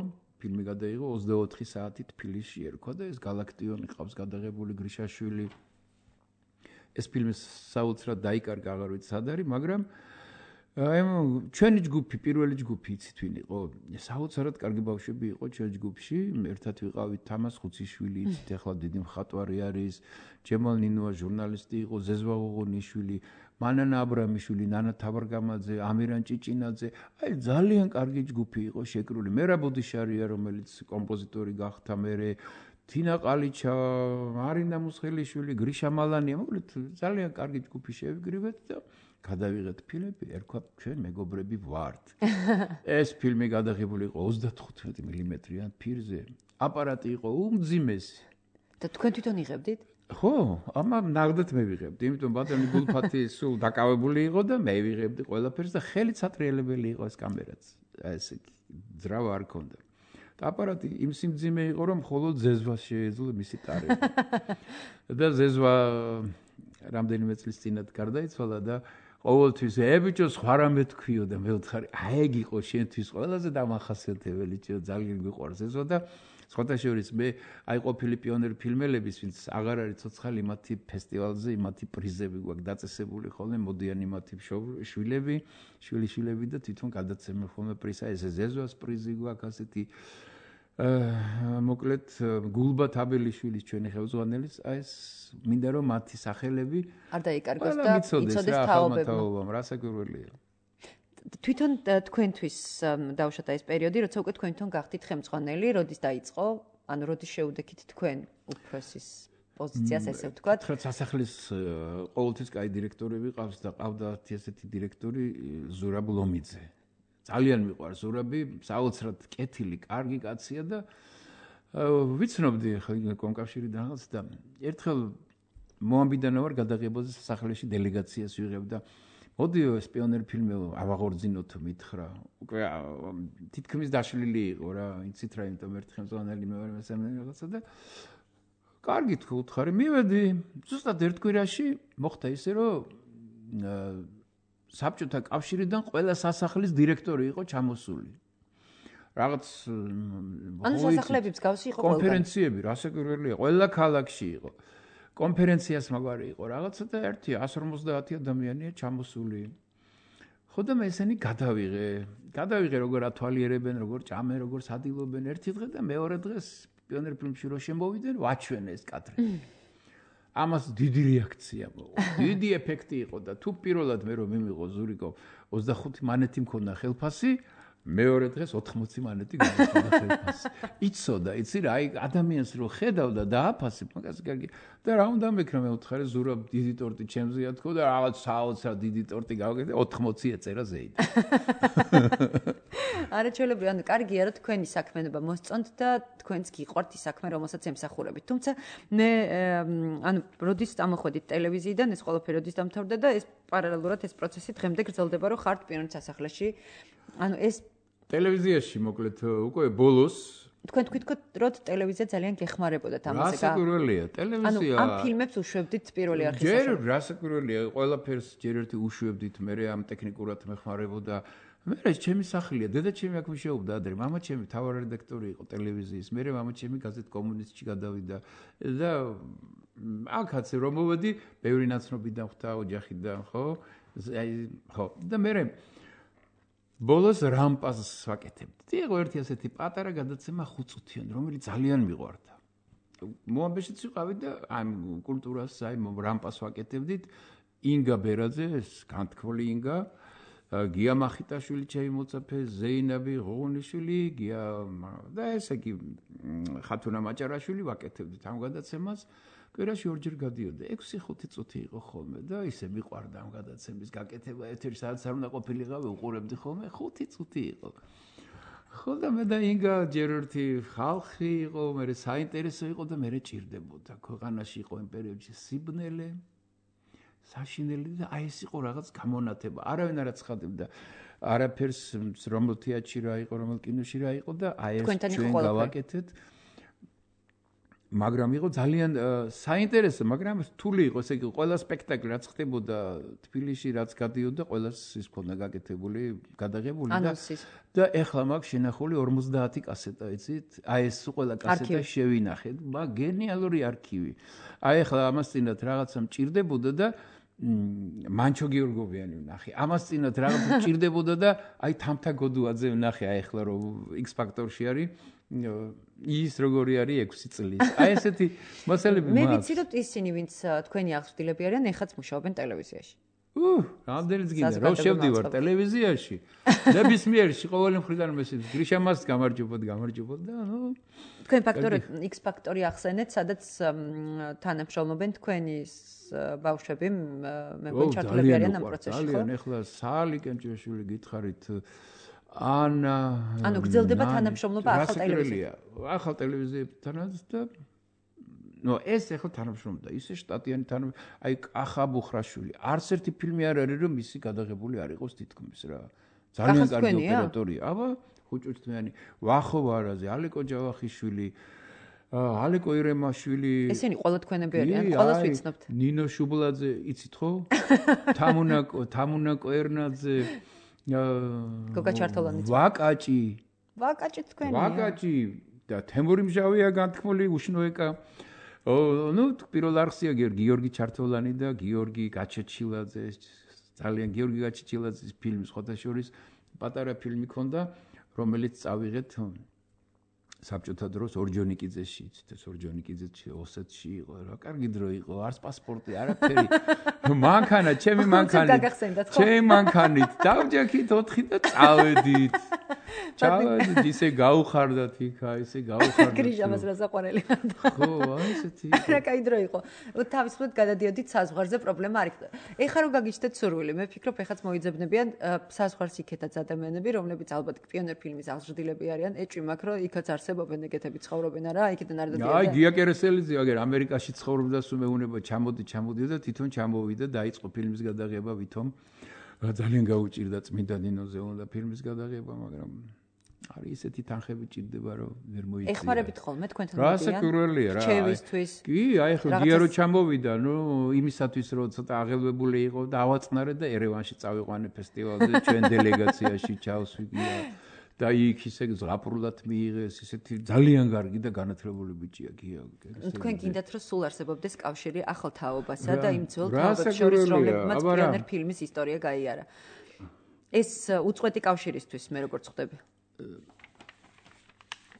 ფილმი გადაიღო ოცდაოთხი საათი თბილისში ერქვა და ეს გალაქტიონი ყავს გადაღებული გრიშაშვილი. ეს ფილმი საოცრად დაიკარგა, აღარ ვიცი სად არის, მაგრამ აი ჩვენი ჯგუფი, პირველი ჯგუფი იცით ვინ იყო? საოცრად კარგი ბავშვები იყო ჩვენი ჯგუფში, ერთად ვიყავით თამას ხუციშვილი, იცით ახლა დიდი მხატვარი არის, ჯემალ ნინოა ჟურნალისტი იყო, ზეზვა ღოღონიშვილი, მანანა აბრამიშვილი, ნანა თაბარგამაძე, ამირან ჭიჭინაძე, აი ძალიან კარგი ჯგუფი იყო შეკრული. მერაბ ოდიშარია, რომელიც კომპოზიტორი გახდა, მერე თინა ყალიჩა, მარინა მუსხელიშვილი, გრიშა მალანია, მოკლედ ძალიან კარგი ჯგუფი შევიგრივეთ და გადავიღეთ ფილმები, ერქვა ჩვენ მეგობრები ვართ. ეს ფილმი გადაღებული იყო ოცდათხუთმეტი მილიმეტრიან ფირზე. აპარატი იყო უმძიმესი. და თქვენ თვითონ იღებდით? ხო, ამა ნაღდად მე ვიღებდი, იმიტომ ბატონი გულფათი სულ დაკავებული იყო და მე ვიღებდი ყველაფერს და ხელით სატრიელებელი იყო ეს კამერაც. ესე ძრავა არ ქონდა. და აპარატი იმ სიმძიმე იყო, რომ მხოლოდ ზეზვას შეეძლო მისი ტარება. და ზეზვა რამდენიმე წლის წინათ გარდაიცვალა და ყოველთვის ებიჭო სხვა რამე თქვიო და მე ვთხარი აი ეგ იყო შენთვის ყველაზე დამახასიათებელი ჭიო ძალიან გვიყვარს ესო და სხვათა შორის მე აი ყოფილი პიონერ ფილმელების ვინც აღარ არის ცოცხალი მათი ფესტივალზე მათი პრიზები გვაქვს დაწესებული ხოლმე მოდიან იმათი შვილები შვილიშვილები და თვითონ გადაცემენ ხოლმე პრიზა ეს ზეზვას პრიზი გვაქვს ასეთი მოკლედ გულბათ აბელიშვილის ჩვენი ხელმძღვანელის აი ეს მინდა რომ მათი სახელები არ დაიკარგოს და იცოდეს თაობებმა რასაკვირველია თვითონ თქვენთვის დავუშვათ ეს პერიოდი როცა უკვე თქვენ თვითონ გახდით ხელმძღვანელი როდის დაიწყო ანუ როდის შეუდექით თქვენ უფროსის პოზიციას ესე ვთქვათ ხა სასახლის ყოველთვის კაი დირექტორები ყავს და ყავდა ესეთი დირექტორი ზურაბ ლომიძე ძალიან მიყვარს ზურაბი, საოცრად კეთილი, კარგი კაცია და ვიცნობდი ხა კომკავშირიდან რაღაც და ერთხელ მოამბიდან ვარ გადაღებაზე სასახლეში დელეგაციას ვიღებ და მოდიო ეს პიონერ ფილმი ავაღორძინოთ მითხრა. უკვე თითქმის დაშლილი იყო რა, იცით რა, იმიტომ ერთხელ ზონელი მე ვარ მესამე რაღაცა და კარგი თქვი უთხარი, მივედი, ზუსტად ერთ კვირაში მოხდა ისე რომ საბჭოთა კავშირიდან ყველა სასახლის დირექტორი იყო ჩამოსული. რაღაც ანუ სასახლეების გავსი იყო ყველგან. კონფერენციები, რასაკვირველია, ყველა ქალაქში იყო. კონფერენციას მაგვარი იყო რაღაცა და ერთი εκατს ორმოცდაათი ადამიანია ჩამოსული. ხო და მე ესენი გადავიღე. გადავიღე როგორ ათვალიერებენ, როგორ ჭამენ, როგორ სადილობენ ერთი დღე და მეორე დღეს პიონერ ფილმში რო შემოვიდნენ, ვაჩვენე ეს კადრები. ამას დიდი რეაქცია მოყვა. დიდი ეფექტი იყო და თუ პირველად მე რომ მიმიღო ზურიკო ოცდახუთი მანეთი მქონდა ხელფასი, მეორე დღეს ოთხმოცი მანეთი გამიხდა ხელფასი. იცოდა, იცი რა, აი ადამიანს რო ხედავდა და აფასებ, მაგას კარგი. და რა უნდა მეკრა მე უთხარი ზურაბ დიდი ტორტი ჩემზეა თქო და რაღაც საოცრად დიდი ტორტი გავაკეთე, ოთხმოცი ეწერა ზეით. არაჩვეულებრივი, ანუ კარგია რომ თქვენი საქმიანობა მოსწონთ და თქვენც გიყვართ ის საქმე, რომელსაც ემსახურებით. თუმცა მე ანუ როდის წამოხვედით ტელევიზიიდან, ეს ყველაფერი როდის დამთავრდა და ეს პარალელურად ეს პროცესი დღემდე გრძელდება, რომ ხართ პიონერ სასახლეში. ანუ ეს ტელევიზიაში მოკლედ უკვე ბოლოს თქვენ თქვით რომ ტელევიზია ძალიან გეხმარებოდათ ამაზე. რასაკვირველია, ტელევიზია. ანუ ამ ფილმებს უშვებდით პირველი არხის. ჯერ რასაკვირველია, ყველაფერს ჯერ ერთი უშვებდით, მე ამ ტექნიკურად მეხმარებოდა. მე რა ჩემი სახლია, დედა ჩემი აქ მუშაობდა ადრე, მამა ჩემი თავარ რედაქტორი იყო ტელევიზიის, მე მამა ჩემი გაზეთ კომუნისტში გადავიდა და აქაც რომ მოვედი, ბევრი ნაცნობიდან ხვდა ოჯახიდან, ხო? აი, ხო. და მე ბოლოს რამპას ვაკეთებდი. იყო ერთი ასეთი პატარა გადაცემა ხუთწუთიანი, რომელიც ძალიან მიყვარდა. მოამბეშიც ვიყავი და ამ კულტურას, აი რამპას ვაკეთებდით. ინგა ბერაძე, ეს განთქმული ინგა, გია მახიტაშვილი ჩემიმოცაფე, ზეინაბი ღოღონიშვილი, გია და ესე იგი ხათუნა მაჭარაშვილი ვაკეთებდით ამ გადაცემას. კვირაში ორჯერ გადიოდა, ექვსი ხუთი წუთი იყო ხოლმე და ისე მიყვარდა ამ გადაცემის გაკეთება, ეთერი სადაც არ უნდა ყოფილიყავი, უყურებდი ხოლმე, ხუთი წუთი იყო. ხო და მე და ინგა ჯერ ერთი ხალხი იყო, მე საინტერესო იყო და მე ჭირდებოდა. ქვეყანაში იყო იმ პერიოდში სიბნელე, საშინელი და აი ეს იყო რაღაც გამონათება. არავინ არ აცხადებდა არაფერს, რომელ თეატრში რა იყო, რომელ კინოში რა იყო და აი ეს ჩვენ გავაკეთეთ. მაგრამ იყო ძალიან საინტერესო, მაგრამ რთული იყო, ესე იგი ყველა სპექტაკლი რაც ხდებოდა თბილისში, რაც გადიოდა, ყველას ის ქონდა გაკეთებული, გადაღებული და და ეხლა მაქვს შენახული ორმოცდაათი კასეტა, იცით? აი ეს ყველა კასეტა შევინახეთ, მაგ გენიალური არქივი. აი ეხლა ამას წინათ რაღაცა მჭირდებოდა და მანჩო გიორგოვიანი ვნახე. ამას წინათ რაღაცა მჭირდებოდა და აი თამთა გოდუაძე ვნახე, აი ეხლა რომ X Factor-ში არის ის როგორი არის ექვსი წლის. აი ესეთი მასალები მაქვს. მე ვიცი რომ ისინი ვინც თქვენი აღზრდილები არიან, ეხაც მუშაობენ ტელევიზიაში. უუ, რამდენიც გინდა რომ შევდივარ ტელევიზიაში. ნებისმიერში ყოველი მხრიდან მესიც გრიშა მას გამარჯობოთ, გამარჯობოთ და ნუ თქვენ ფაქტორი X Factor-ი ახსენეთ, სადაც თანამშრომლობენ თქვენი ბავშვები, მე მგონი ჩართულები არიან ამ პროცესში, ხო? ძალიან, ეხლა საალი კენჭიაშვილი გითხარით ანა ანუ გრძელდება თანამშრომლობა ახალ ტელევიზიასთან. ახალ ტელევიზიებთანაც და ნუ ეს ახლა თანამშრომლობა, ისე შტატიანი თანამშრომლობა, აი კახა ბუხრაშვილი. არც ერთი ფილმი არ არის, რომ მისი გადაღებული არ იყოს თითქმის რა. ძალიან კარგი ოპერატორია. აბა, ხუჭუჭთმიანი, ვახო ვარაზე, ალეკო ჯავახიშვილი, ალეკო ირემაშვილი. ესენი ყველა თქვენები არიან, ყველას ვიცნობთ. ნინო შუბლაძე, იცით ხო? თამუნაკო, თამუნაკო ერნაძე. გოგა ჩართოლანიც. ვაკაჭი. ვაკაჭი თქვენია. ვაკაჭი და თემური მჟავია განთქმული უშნოეკა. ნუ პირველ არხსია გიორგი ჩართოლანი და გიორგი გაჩეჩილაძე. ძალიან გიორგი გაჩეჩილაძის ფილმი სხვათა შორის პატარა ფილმი ქონდა, რომელიც წავიღეთ საბჭოთა დროს ორჯონიკიძეში, იცით ეს ორჯონიკიძეში ოსეთში იყო, რა კარგი დრო იყო, არც პასპორტი, არაფერი. მანქანა, ჩემი მანქანით. ჩემი მანქანით დავჯექით ოთხი და წავედით. ჩავედით, ისე გაუხარდათ იქა, ისე გაუხარდათ. გრიშამას რა საყვარელი მანდა. ხო, აი ესეთი. რა კაი დრო იყო. თავისუფლად გადადიოდით საზღვარზე, პრობლემა არ იქნა. ეხლა რომ გაგიჩნდეთ სურვილი, მე ვფიქრობ, ეხაც მოიძებნებიან საზღვარს იქეთაც ადამიანები, რომლებიც ალბათ პიონერ ფილმის აღზრდილები არიან, ეჭვი მაქვს, რომ იქაც არსებობენ ეგეთები ცხოვრობენ არა, იქიდან არ დადიან. აი, გია კერესელიძე, აგერ ამერიკაში ცხოვრობდა, სულ მეუნება ჩამოდი, ჩამოდი და თვითონ ჩამოვიდა, დაიწყო ფილმის გადაღება ვითომ. ძალიან გაუჭირდა წმინდა ნინოზე უნდა ფილმის გადაღება, მაგრამ არის ისეთი თანხები ჭირდება რომ ვერ მოიწია. ეხმარებით ხოლმე თქვენთან მოდიან. რასაკურველია რა. რჩევისთვის. კი, აი ხო დიარო ჩამოვიდა, ნუ იმისათვის რომ ცოტა აღელვებული იყო და ავაწნარე და ერევანში წავიყვანე ფესტივალზე ჩვენ დელეგაციაში ჩავსვიგია. და იქ ისე ზღაპრულად მიიღეს, ისეთი ძალიან კარგი და განათლებული ბიჭია გია. თქვენ გინდათ რომ სულ არსებობდეს კავშირი ახალ თაობასა და იმ ძველ თაობებს შორის, რომლებმაც პიონერ ფილმის ისტორია გაიარა. ეს უწყვეტი კავშირისთვის მე როგორ ხვდები?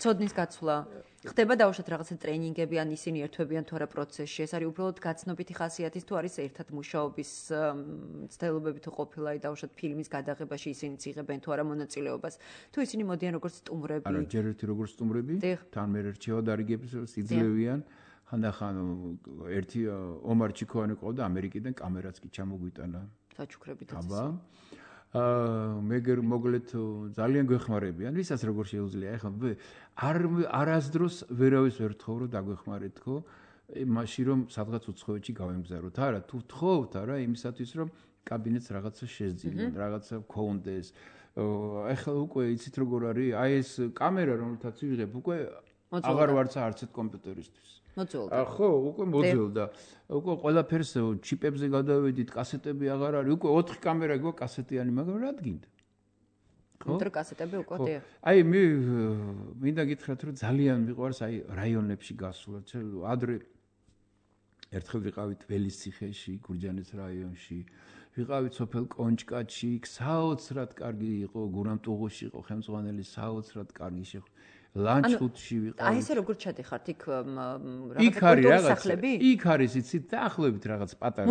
ცოდნის გაცვლა ხდება დაუშვათ რაღაცა ტრენინგები ან ისინი ერთვებიან თუ არა პროცესში, ეს არის უბრალოდ გაცნობითი ხასიათის თუ არის ერთად მუშაობის ცდილობები თუ ყოფილა დაუშვათ ფილმის გადაღებაში ისინი იღებენ თუ არა მონაწილეობას, თუ ისინი მოდიან როგორც სტუმრები. არა, ჯერ ერთი როგორც სტუმრები, თან მე რჩევა დარიგებს იძლევიან. ხანდახან ერთი ომარ ჩიქოვანი ყავდა ამერიკიდან, კამერაც კი ჩამოგვიტანა. საჩუქრებით აბა აა მეგერ მოგლეთ ძალიან გვეხმარებიან, ვისაც როგორ შეუძლია. ეხლა არ არასდროს ვერავის ვერ თხოვ რომ დაგვეხმარეთ ხო? მაშინ რომ სადღაც უცხოეთში გავემგზავროთ. არა, თუ თხოვთ არა იმისათვის რომ კაბინეტს რაღაცა შეძინონ, რაღაცა გქონდეს. ეხლა უკვე იცით როგორ არის? აი ეს კამერა რომელთაც ვიღებ, უკვე აღარ ვარცა არც ერთ კომპიუტერისთვის. მოძველდა. ხო, უკვე მოძველდა. უკვე ყველაფერს ჩიპებზე გადავედით, კასეტები აღარ არის. უკვე ოთხი კამერა გქონდა კასეტიანი, მაგრამ რა გინდა? ხო? მეტრო კასეტები უკვე დიახ. აი მე მინდა გითხრათ რომ ძალიან მიყვარს აი რაიონებში გასვლა. ადრე ერთხელ ვიყავით ველისციხეში, გურჯაანის რაიონში. ვიყავით სოფელ კონჭკატში, საოცრად კარგი იყო, გურამტუღუში იყო ხელმძღვანელი, საოცრად კარგი შეხ ლანჩხუთში ვიყავით. აი ესე როგორ ჩადიხართ იქ იქ არის რაღაც იქ არის იცით დაახლოებით რაღაც პატარა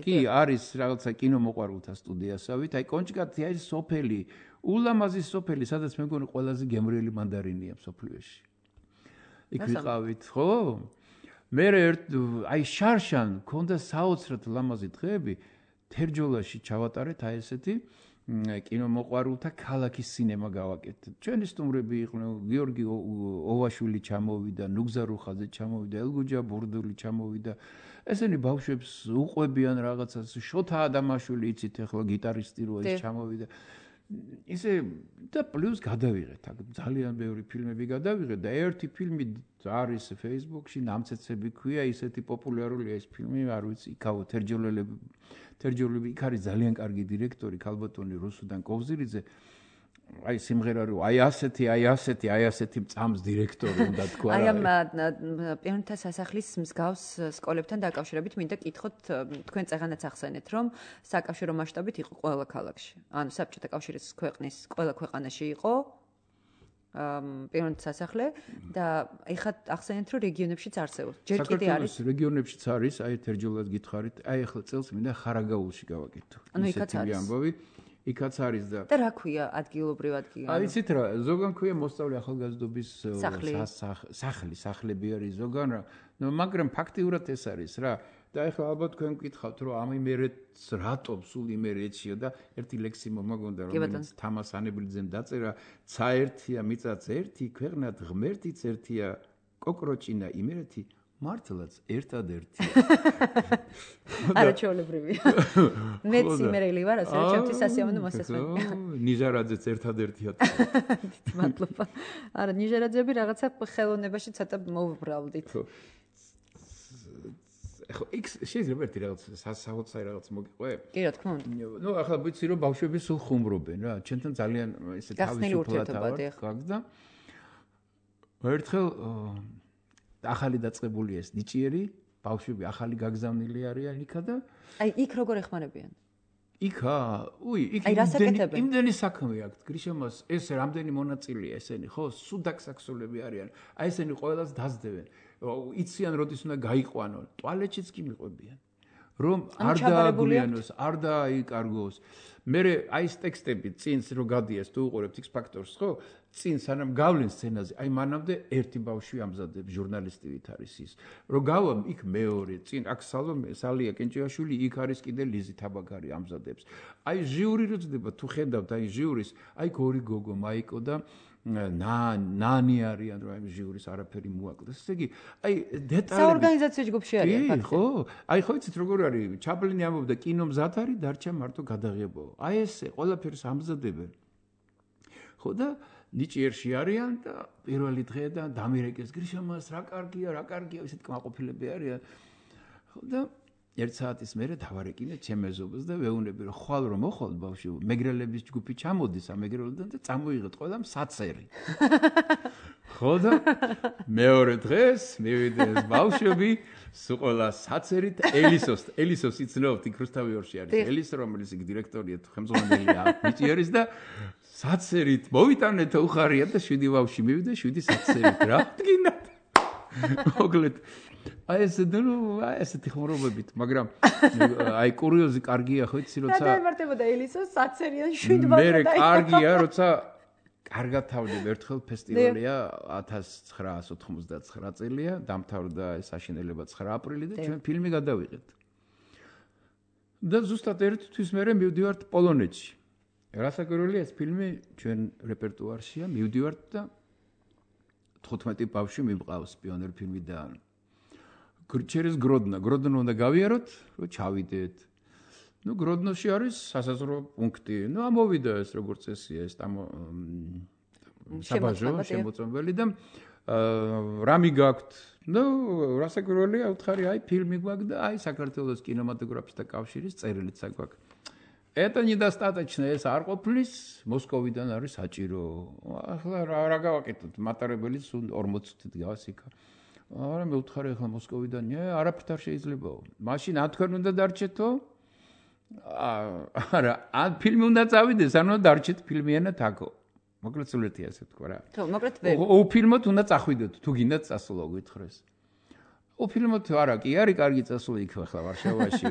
კი არის რაღაცა კინომოყვარულთა სტუდიასავით აი კონჭკატი არის სოფელი ულამაზი სოფელი სადაც მე მგონი ყველაზე გემრიელი მანდარინია სოფლიოში იქ ვიყავით ხო მე ერთ აი შარშან ქონდა საოცრად ლამაზი დღეები თერჯოლაში ჩავატარეთ აი ესეთი კინომოყვარულთა ქალაქის სინემა გავაკეთეთ. ჩვენი სტუმრები იყვნენ გიორგი ოვაშვილი ჩამოვიდა, ნუგზა რუხაძე ჩამოვიდა, ელგუჯა ბურდული ჩამოვიდა. ესენი ბავშვებს უყვებიან რაღაცას, შოთა ადამაშვილი იცით ახლა გიტარისტი რო ეს ჩამოვიდა. ისე და პლუს გადავიღეთ, აქ ძალიან ბევრი ფილმები გადავიღეთ და ერთი ფილმი არის Facebook-ში, ნამცეცები ქვია, ისეთი პოპულარულია ეს ფილმი, არ ვიცი, იქაო თერჯოლელები თერჯოლები იქ არის ძალიან კარგი დირექტორი ქალბატონი რუსუდან კოვზირიძე აი სიმღერა რო აი ასეთი აი ასეთი აი ასეთი წამს დირექტორი უნდა თქვა აი ამ პიონერთა სასახლის მსგავს სკოლებთან დაკავშირებით მინდა კითხოთ თქვენ წეღანაც ახსენეთ რომ საკავშირო მასშტაბით იყო ყველა ქალაქში ანუ საბჭოთა კავშირის ქვეყნის ყველა ქვეყანაში იყო პიონერთა სასახლე და ეხლა ახსენეთ რომ რეგიონებშიც არსებობს ჯერ კიდე არის რეგიონებშიც არის აი თერჯოლად გითხარით აი ახლა წელს მინდა ხარაგაულში გავაკეთო ანუ იქაც არის ამბავი იქაც არის და და რა ქვია ადგილობრივ ადგილი აი იცით რა ზოგან ქვია მოსწავლე ახალგაზრდობის სახლი სახლები არის ზოგან რა მაგრამ ფაქტიურად ეს არის რა და ეხლა ალბათ თქვენ გკითხავთ რომ ამ იმერეთს რატომ სულ იმერეთშია და ერთი ლექსი მომაგონდა რომელიც თამას ანებრიძემ დაწერა ცაერთია მიწაც ერთი ქვეყნად ღმერთიც ერთია კოკროჭინა იმერეთი მართლაც ერთადერთია არა ჩაოლებრივია მეც იმერელი ვარ ასე რომ ჩემთვის სასიამოვნო მოსასმენია ნიჟარაძეც ერთადერთია მადლობა არა ნიჟარაძეები რაღაცა ხელოვნებაში ცოტა მოვბრალდით ხო იქ შეიძლება ერთი რაღაც საოცარი რაღაც მოგიყვე? კი რა თქმა უნდა. ნუ ახლა ვიცი რომ ბავშვები სულ ხუმრობენ რა. ჩვენთან ძალიან ესე თავისუფლად გაქვს. ერთხელ ახალი დაწყებული ეს ნიჭიერი ბავშვები ახალი გაგზავნილი არიან იქა და აი იქ როგორ ეხმარებიან? იქა, უი, იქ იმდენი საქმე აქვს. გრიშემას ეს რამდენი მონაწილეა ესენი, ხო? სუდაქსაქსოლები არიან. აი ესენი ყველას დაძდევენ. იციან როდის უნდა გაიყვანონ. ტუალეტშიც კი მიყვებიან. რომ არ დააგვიანოს, არ დააიკარგოს. მე აი ეს ტექსტები წინს რო გადიეს თუ უყურებთ X Factors, ხო? წინ სანამ გავლენ სცენაზე, აი მანამდე ერთი ბავშვი ამზადებს ჟურნალისტი ვით არის ის. რო გავამ იქ მეორე, წინ აქ სალომე, სალია კენჭიაშვილი, იქ არის კიდე ლიზი თაბაგარი ამზადებს. აი ჟიური რო ძდება თუ ხედავთ აი ჟურის, აი ორი გოგო, მაიკო და ნა ნანი არიან რომ აი ჟურის არაფერი მოაკლდეს. ესე იგი, აი დეტალები საორგანიზაციო ჯგუფში არიან ფაქტია. ხო, აი ხო იცით როგორ არის, ჩაპლინი ამბობდა კინო მზად არის, დარჩა მარტო გადაღებაო. აი ესე ყველაფერს ამზადებენ. ხო და ნიჭიერში არიან და პირველი დღეიდან დამირეკეს გრიშამას რა კარგია, რა კარგია, ისეთ კმაყოფილები არიან. და ერთ საათის მერე დავარეკინე ჩემ ეზობას და ვეუბნები რომ ხვალ რომ მოხვალ ბავშვი, მეგრელების ჯგუფი ჩამოდის ამ მეგრელოდან და წამოიღეთ ყველამ საცერი. ხო და მეორე დღეს მივიდა ეს ბავშვები სულ ყველა საცერით ელისოს ელისოს იცნობთ იქ რუსთავიორში არის ელის რომელიც იქ დირექტორია თუ ხელმძღვანელია ნიჭიერის და საცერით მოვიტანეთ უხარია და შვიდი ბავშვი მივიდა შვიდი საცერით რა დგინათ მოგლეთ აი ეს ნუ აი ესეთი ხმრობებით მაგრამ აი კურიოზი კარგია ხო იცი როცა და ემართებოდა ელისოს საცერიან შვიდი ბავშვი მე კარგია როცა კარგად თავდები ერთხელ ფესტივალია ათას ცხრაას ოთხმოცდათცხრა წელია დამთავრდა ეს აშენელება ცხრა აპრილი და ჩვენ ფილმი გადავიღეთ და ზუსტად ერთი თვის მერე მივდივართ პოლონეთში რასაკვირველია ეს ფილმი ჩვენ რეპერტუარშია მივდივართ და თხუთმეტი ბავშვი მივყავს პიონერ ფილმიდან через გროდნა გროდნო უნდა გავიაროთ რომ ჩავიდეთ ну გროდნოში არის სასაზღვრო პუნქტი ну ამოვიდა ეს როგორც წესია ეს ამ საბაჟო შემოწმებელი და რამი გაქვთ ну რასაკვირველია უთხარი აი ფილმი გვაქვს და აი საქართველოს კინემატოგრაფისტთა კავშირის წერილიც აქვთ это недостаточно ეს არ ყოფნის მოსკოვიდან არის საჭირო ახლა რა გავაკეთოთ მატარებელიც ორმოც წუთით გავს იქა არა მე უთხარი ახლა მოსკოვიდან არაფერთ არ შეიძლებაო მაშინ ან თქვენ უნდა დარჩეთო არა, ან ფილმი უნდა წავიდეს, ანუ დარჩეთ ფილმიანად აქო. მოკლედ სულეთია ასე თქვა რა. ხო, მოკლედ ვერ. ოფილმოთ უნდა წახვიდეთ, თუ გინდათ წასულა გითხრეს. ოფილმოთ არა, კი არის კარგი წასული იქ ახლა ვარშავაში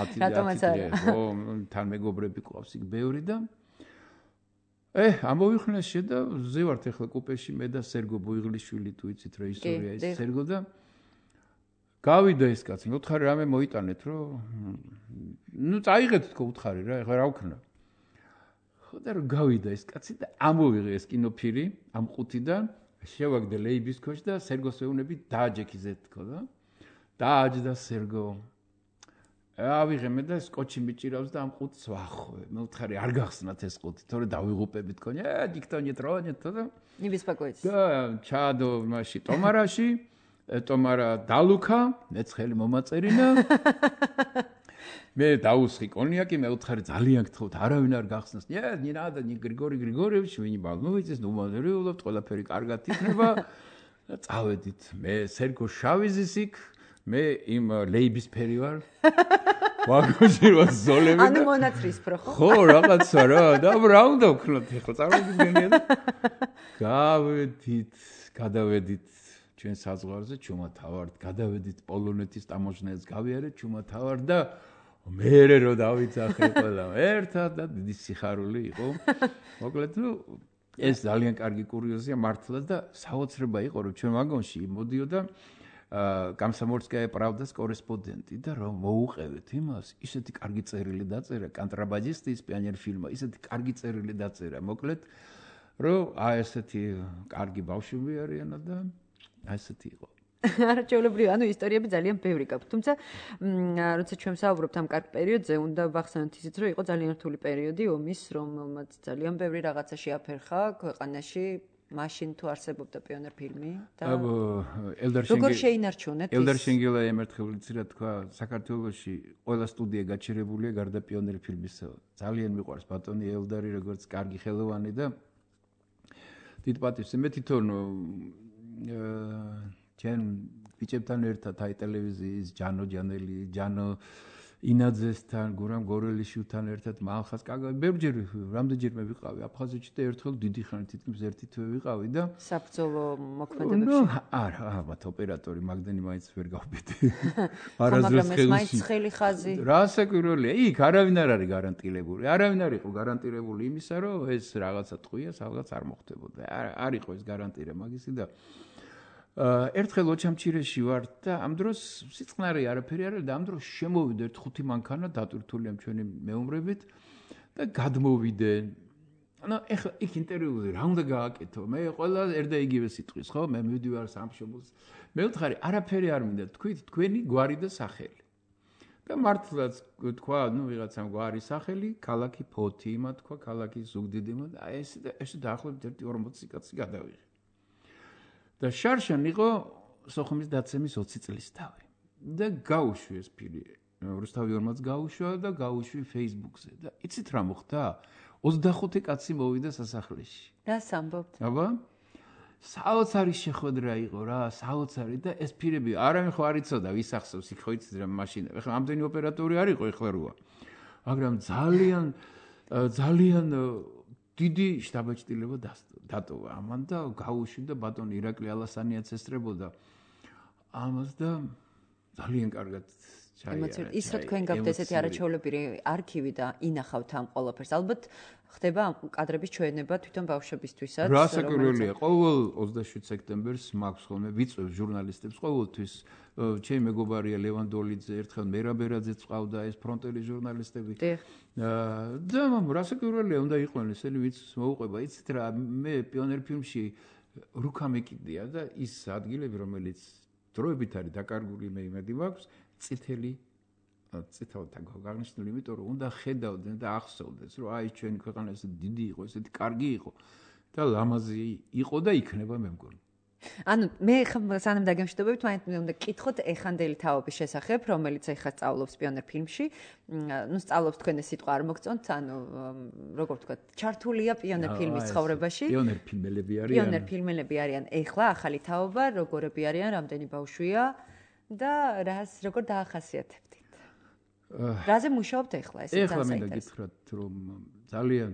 ათი დღე. ხო, თან მეგობრები ყავს იქ ბევრი და ე, ამოვიხნეს შედა ზევართ ახლა კუპეში მე და სერგო ბუიღლიშვილი თუ იცით რა ისტორია ის სერგო და გავიდა ეს კაცი, მე ვთხარი რამე მოიტანეთ, რომ ნუ წაიღეთ თქო ვთხარი რა, ეხლა რა ვქნა. ხო და რომ გავიდა ეს კაცი და ამოვიღე ეს კინოფირი ამ ყუთიდან, შევაგდე ლეიბის ქოში და სერგოს ვეუბნები დააჯექიზეთ თქო და დააჯდა სერგო. ავიღე მე და სკოჩი მიჭირავს და ამ ყუთს ვახვე. მე ვთხარი არ გახსნათ ეს ყუთი, თორე დავიღუპები თქონი, ე დიქტონით რონით და ნიბისპაკოიც. და ჩადო მასში ტომარაში ტომარა დალუქა, მეც ხელი მომაწერინა. მე დაუსხი კონიაკი, მე ვთხარი ძალიან გთხოვთ, არავინ არ გახსნას. ნე, ნინა და გრიგორი გრიგორევიჩი, ვინი ბალმოვიცის, ნუ მოდერეულობთ, ყველაფერი კარგად იქნება. და წავედით. მე სერგო შავიზის იქ, მე იმ ლეიბის ფერი ვარ. ვაგონში რა ზოლები და ანუ მონაცრისფრო ხო? ხო, რაღაცა რა, და რა უნდა ვქნათ ახლა, წარმოგიდგენია და გავედით, გადავედით ჩვენ საზღვარზე ჩუმათავართ, გადავედით პოლონეთის ტამოჟნელს გავიარეთ ჩუმათავართ და მერე რო დავიძახე ყველა ერთად და დიდი სიხარული იყო. მოკლედ, ნუ ეს ძალიან კარგი კურიოზია მართლა და საოცრება იყო რომ ჩვენ ვაგონში მოდიოდა გამსამორსკაია პრავდას კორესპონდენტი და რომ მოუყევეთ იმას, ისეთი კარგი წერილი დაწერა, კონტრაბანდისტის პიონერ ფილმა, ისეთი კარგი წერილი დაწერა. მოკლედ, რომ აი ესეთი კარგი ბავშვები არიან და ასეთი იყო. არა ჩვეულებრივი, ანუ ისტორიები ძალიან ბევრი გაქვთ. თუმცა, როცა ჩვენ საუბრობთ ამ კარგ პერიოდზე, უნდა ვახსენოთ ისიც, რომ იყო ძალიან რთული პერიოდი ომის, რომელმაც ძალიან ბევრი რაღაცა შეაფერხა ქვეყანაში, მაშინ თუ არსებობდა პიონერ ფილმი და როგორ შეინარჩუნეთ ის? ელდარ შენგელა ემერთხევლიცი რა თქვა, საქართველოში ყველა სტუდია გაჩერებულია გარდა პიონერ ფილმისა. ძალიან მიყვარს ბატონი ელდარი, როგორც კარგი ხელოვანი და დიდ პატივს მე თვითონ ჩვენ ბიჭებთან ერთად აი ტელევიზიის ჯანო ჯანელი, ჯანო ინაძესთან, გურამ გორელიშვილთან ერთად მალხას კაგა ბევრჯერ რამდენჯერ მე ვიყავი აფხაზეთში და ერთხელ დიდი ხანი თითქმის ერთი თვე ვიყავი და საბრძოლო მოქმედებებში. ნუ არა, ალბათ ოპერატორი მაგდენი მაინც ვერ გავბედი. არასდროს ხელში. მაინც ხელი ხაზი. რასაკვირველია, იქ არავინ არ არის გარანტირებული. არავინ არ იყო გარანტირებული იმისა, რომ ეს რაღაცა ტყუია, სადღაც არ მოხდებოდა. არ იყო ეს გარანტირება მაგისი და ერთხელ ოჩამჩირეში ვარ და ამ დროს სიწყნარე არაფერი არ არის და ამ დროს შემოვიდა ერთ ხუთი მანქანა დატვირთული ამ ჩვენი მეომრებით და გადმოვიდნენ. ანუ ეხლა იქ ინტერვიუზე რა უნდა გააკეთო? მე ყველა ერდა იგივე სიტყვის, ხო? მე მივდივარ სამშობლოს. მე ვთხარი, არაფერი არ მინდა, თქვით თქვენი გვარი და სახელი. და მართლაც თქვა, ნუ ვიღაცამ გვარი სახელი, ქალაქი ფოთი იმა თქვა, ქალაქი ზუგდიდი იმა და აი ესე და ესე დაახლოებით ერთი ორმოცი კაცი გადავიღე. და შარშან იყო სოხუმის დაცემის ოცი წლის თავი. და გაუშვი ეს ფილი. რუსთავი ორმოც გაუშვა და გაუშვი Facebook-ზე და იცით რა მოხდა? ოცდახუთი კაცი მოვიდა სასახლეში. რას ამბობთ? აბა საოცარი შეხვედრა იყო რა, საოცარი და ეს ფილები არავინ ხო არ იცოდა ვის ახსოვს, იქ ხო იცით რა მაშინა. ეხლა ამდენი ოპერატორი არ იყო ეხლა როა. მაგრამ ძალიან ძალიან დიდი შტაბ-ჭდილება დატოვა ამან და გაუშვი და ბატონი ირაკლი ალასანიაც ესწრებოდა ამას და ძალიან კარგად ემოციურად ის რა თქვენ გაქვთ ესეთი არაჩვეულებრივი არქივი და ინახავთ ამ ყველაფერს ალბათ ხდება ამ კადრების ჩვენება თვითონ ბავშვებისთვისაც რა საკურველია ყოველ ოცდაშვიდ სექტემბერს მაქვს ხოლმე ვიწევ ჟურნალისტებს ყოველთვის ჩემი მეგობარია ლევან დოლიძე ერთხელ მერაბერაძეც ყავდა ეს ფრონტელი ჟურნალისტები და მამ რა საკურველია უნდა იყვნენ ესენი ვიც მოუყვება იცით რა მე პიონერ ფილმში რუკა მეკიდია და ის ადგილები რომელიც დროებით არის დაკარგული მე იმედი მაქვს წითელი წითელთან გაგნიშნული, იმიტომ რომ უნდა ხედავდნენ და ახსოვდეს, რომ აი ჩვენი ქვეყანა ესე დიდი იყო, ესეთი კარგი იყო და ლამაზი იყო და იქნება მე მგონი. ანუ მე ხა სანამ დაგემშვიდობებით, მაინც უნდა გკითხოთ ეხანდელი თაობის შესახებ, რომელიც ეხა სწავლობს პიონერ ფილმში. ნუ სწავლობს თქვენ ეს სიტყვა არ მოგწონთ, ანუ როგორ ვთქვათ, ჩართულია პიონერ ფილმის ცხოვრებაში. პიონერ ფილმელები არიან. პიონერ ფილმელები არიან ეხლა ახალი თაობა, როგორები არიან, რამდენი ბავშვია და რას როგორ დაახასიათებთ? რაზე მუშაობთ ეხლა ეს ეხლა მინდა გითხრათ რომ ძალიან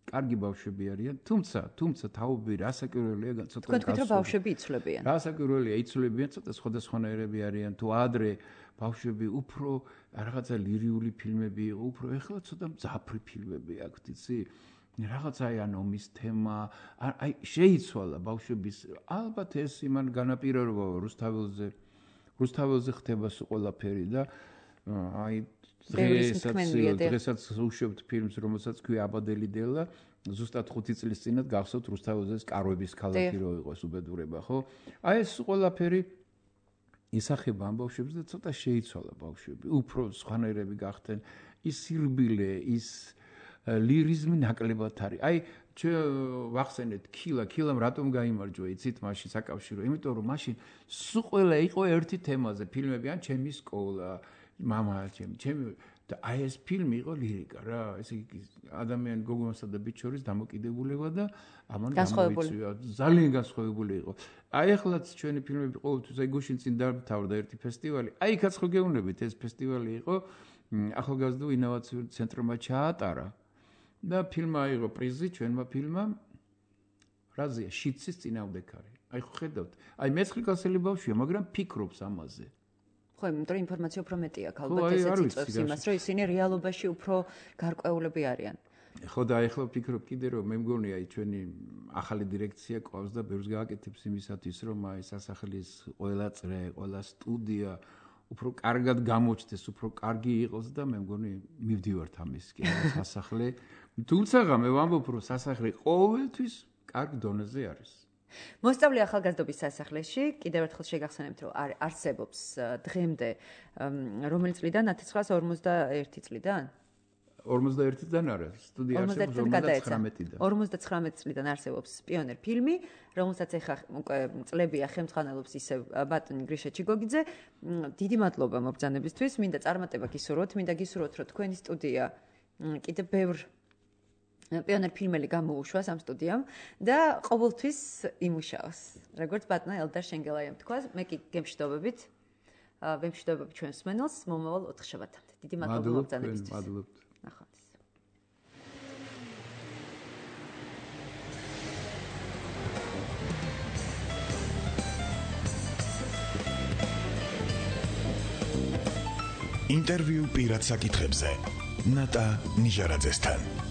კარგი ბავშვები არიან თუმცა თუმცა თაობები რასაკურველია ცოტა თქვენ თქვით რომ ბავშვები იცვლებიან რასაკურველია იცვლებიან ცოტა სხვადასხვანაირები არიან თუ ადრე ბავშვები უფრო რაღაცა ლირიული ფილმები იყო უფრო ეხლა ცოტა მძაფრი ფილმები აქვთ იცი რაღაცა აი ან ომის თემა აი შეიცვალა ბავშვების ალბათ ეს იმან განაპირობა რუსთაველზე რუსთაველზე ხდება ყველაფერი და აი დღესაც დღესაც უშვებთ ფილმს რომელსაც ქვია აბადელი დელა ზუსტად ხუთი წლის წინათ გახსოვთ რუსთაველზეს კარვების ქალაქი რო იყო ეს უბედურება ხო აი ეს ყველაფერი ისახება ამ ბავშვებს და ცოტა შეიცვალა ბავშვები უფრო სხვანაირები გახდნენ ის სირბილე ის ლირიზმი ნაკლებად არის აი ვახსენეთ ქილა ქილამ რატომ გაიმარჯვა იცით მაშინ საკავშირო იმიტომ რომ მაშინ სულ ყველა იყო ერთი თემაზე ფილმები ან ჩემი სკოლა мама ჩემი ჩემი და აი ეს ფილმი იყო ლირიკა რა ესე იგი ადამიანი გოგონასა და ბიჭ შორის დამოკიდებულება და ამან გამოიწვია ძალიან განსხვავებული იყო აი ახლაც ჩვენი ფილმები ყოველთვის აი გუშინ წინ დამთავრდა ერთი ფესტივალი აი იქაც ხო გეუბნებით ეს ფესტივალი იყო ახალგაზრდულ ინოვაციურ ცენტრმა ჩაატარა და ფილმა აიღო პრიზი ჩვენმა ფილმმა რაზეა შიცის წინააღმდეგარი აი ხო ხედავთ აი მეცხრე კლასელი ბავშვია მაგრამ ფიქრობს ამაზე ხო, იმიტომ რომ ინფორმაცია უფრო მეტი აქვს, ალბათ ესეც იწვევს იმას, რომ ისინი რეალობაში უფრო გარკვეულები არიან. ხო და ეხლა ვფიქრობ კიდე რომ მე მგონი აი ჩვენი ახალი დირექცია ყავს და ბევრს გააკეთებს იმისათვის რომ აი სასახლის ყველა წრე, ყველა სტუდია უფრო კარგად გამოჩნდეს, უფრო კარგი იყოს და მე მგონი მივდივართ ამისკენ სასახლე. თუმცა მე ვამბობ რომ სასახლე ყოველთვის კარგ დონეზე არის. მოსწავლე ახალგაზრდობის სასახლეში კიდევ ერთხელ შეგახსენებთ რომ არსებობს დღემდე რომელი წლიდან ათი ცხრაას ორმოცდაერთი წლიდან ორმოცდაერთი წლიდან არა სტუდია არსებობს ორმოცდათხრამეტიდან ორმოცდათხრამეტი წლიდან არსებობს პიონერ ფილმი რომელსაც ეხა უკვე წლებია ხელმძღვანელობს ისევ ბატონი გრიშა ჩიგოგიძე დიდი მადლობა მობრძანებისთვის მინდა წარმატება გისურვოთ მინდა გისურვოთ რომ თქვენი სტუდია კიდევ ბევრ პიონერ ფილმელი გამოუშვას ამ სტუდიამ და ყოველთვის იმუშაოს. როგორც ბატონო ელდარ შენგელაიამ თქვა, მე კი გემშვიდობებით. ვემშვიდობები ჩვენს მსმენელს მომავალ ოთხშაბათამდე. დიდი მადლობა მობრძანებისთვის. მადლობთ. ნახვამდის. ინტერვიუ პირად საკითხებზე ნატა ნიჟარაძესთან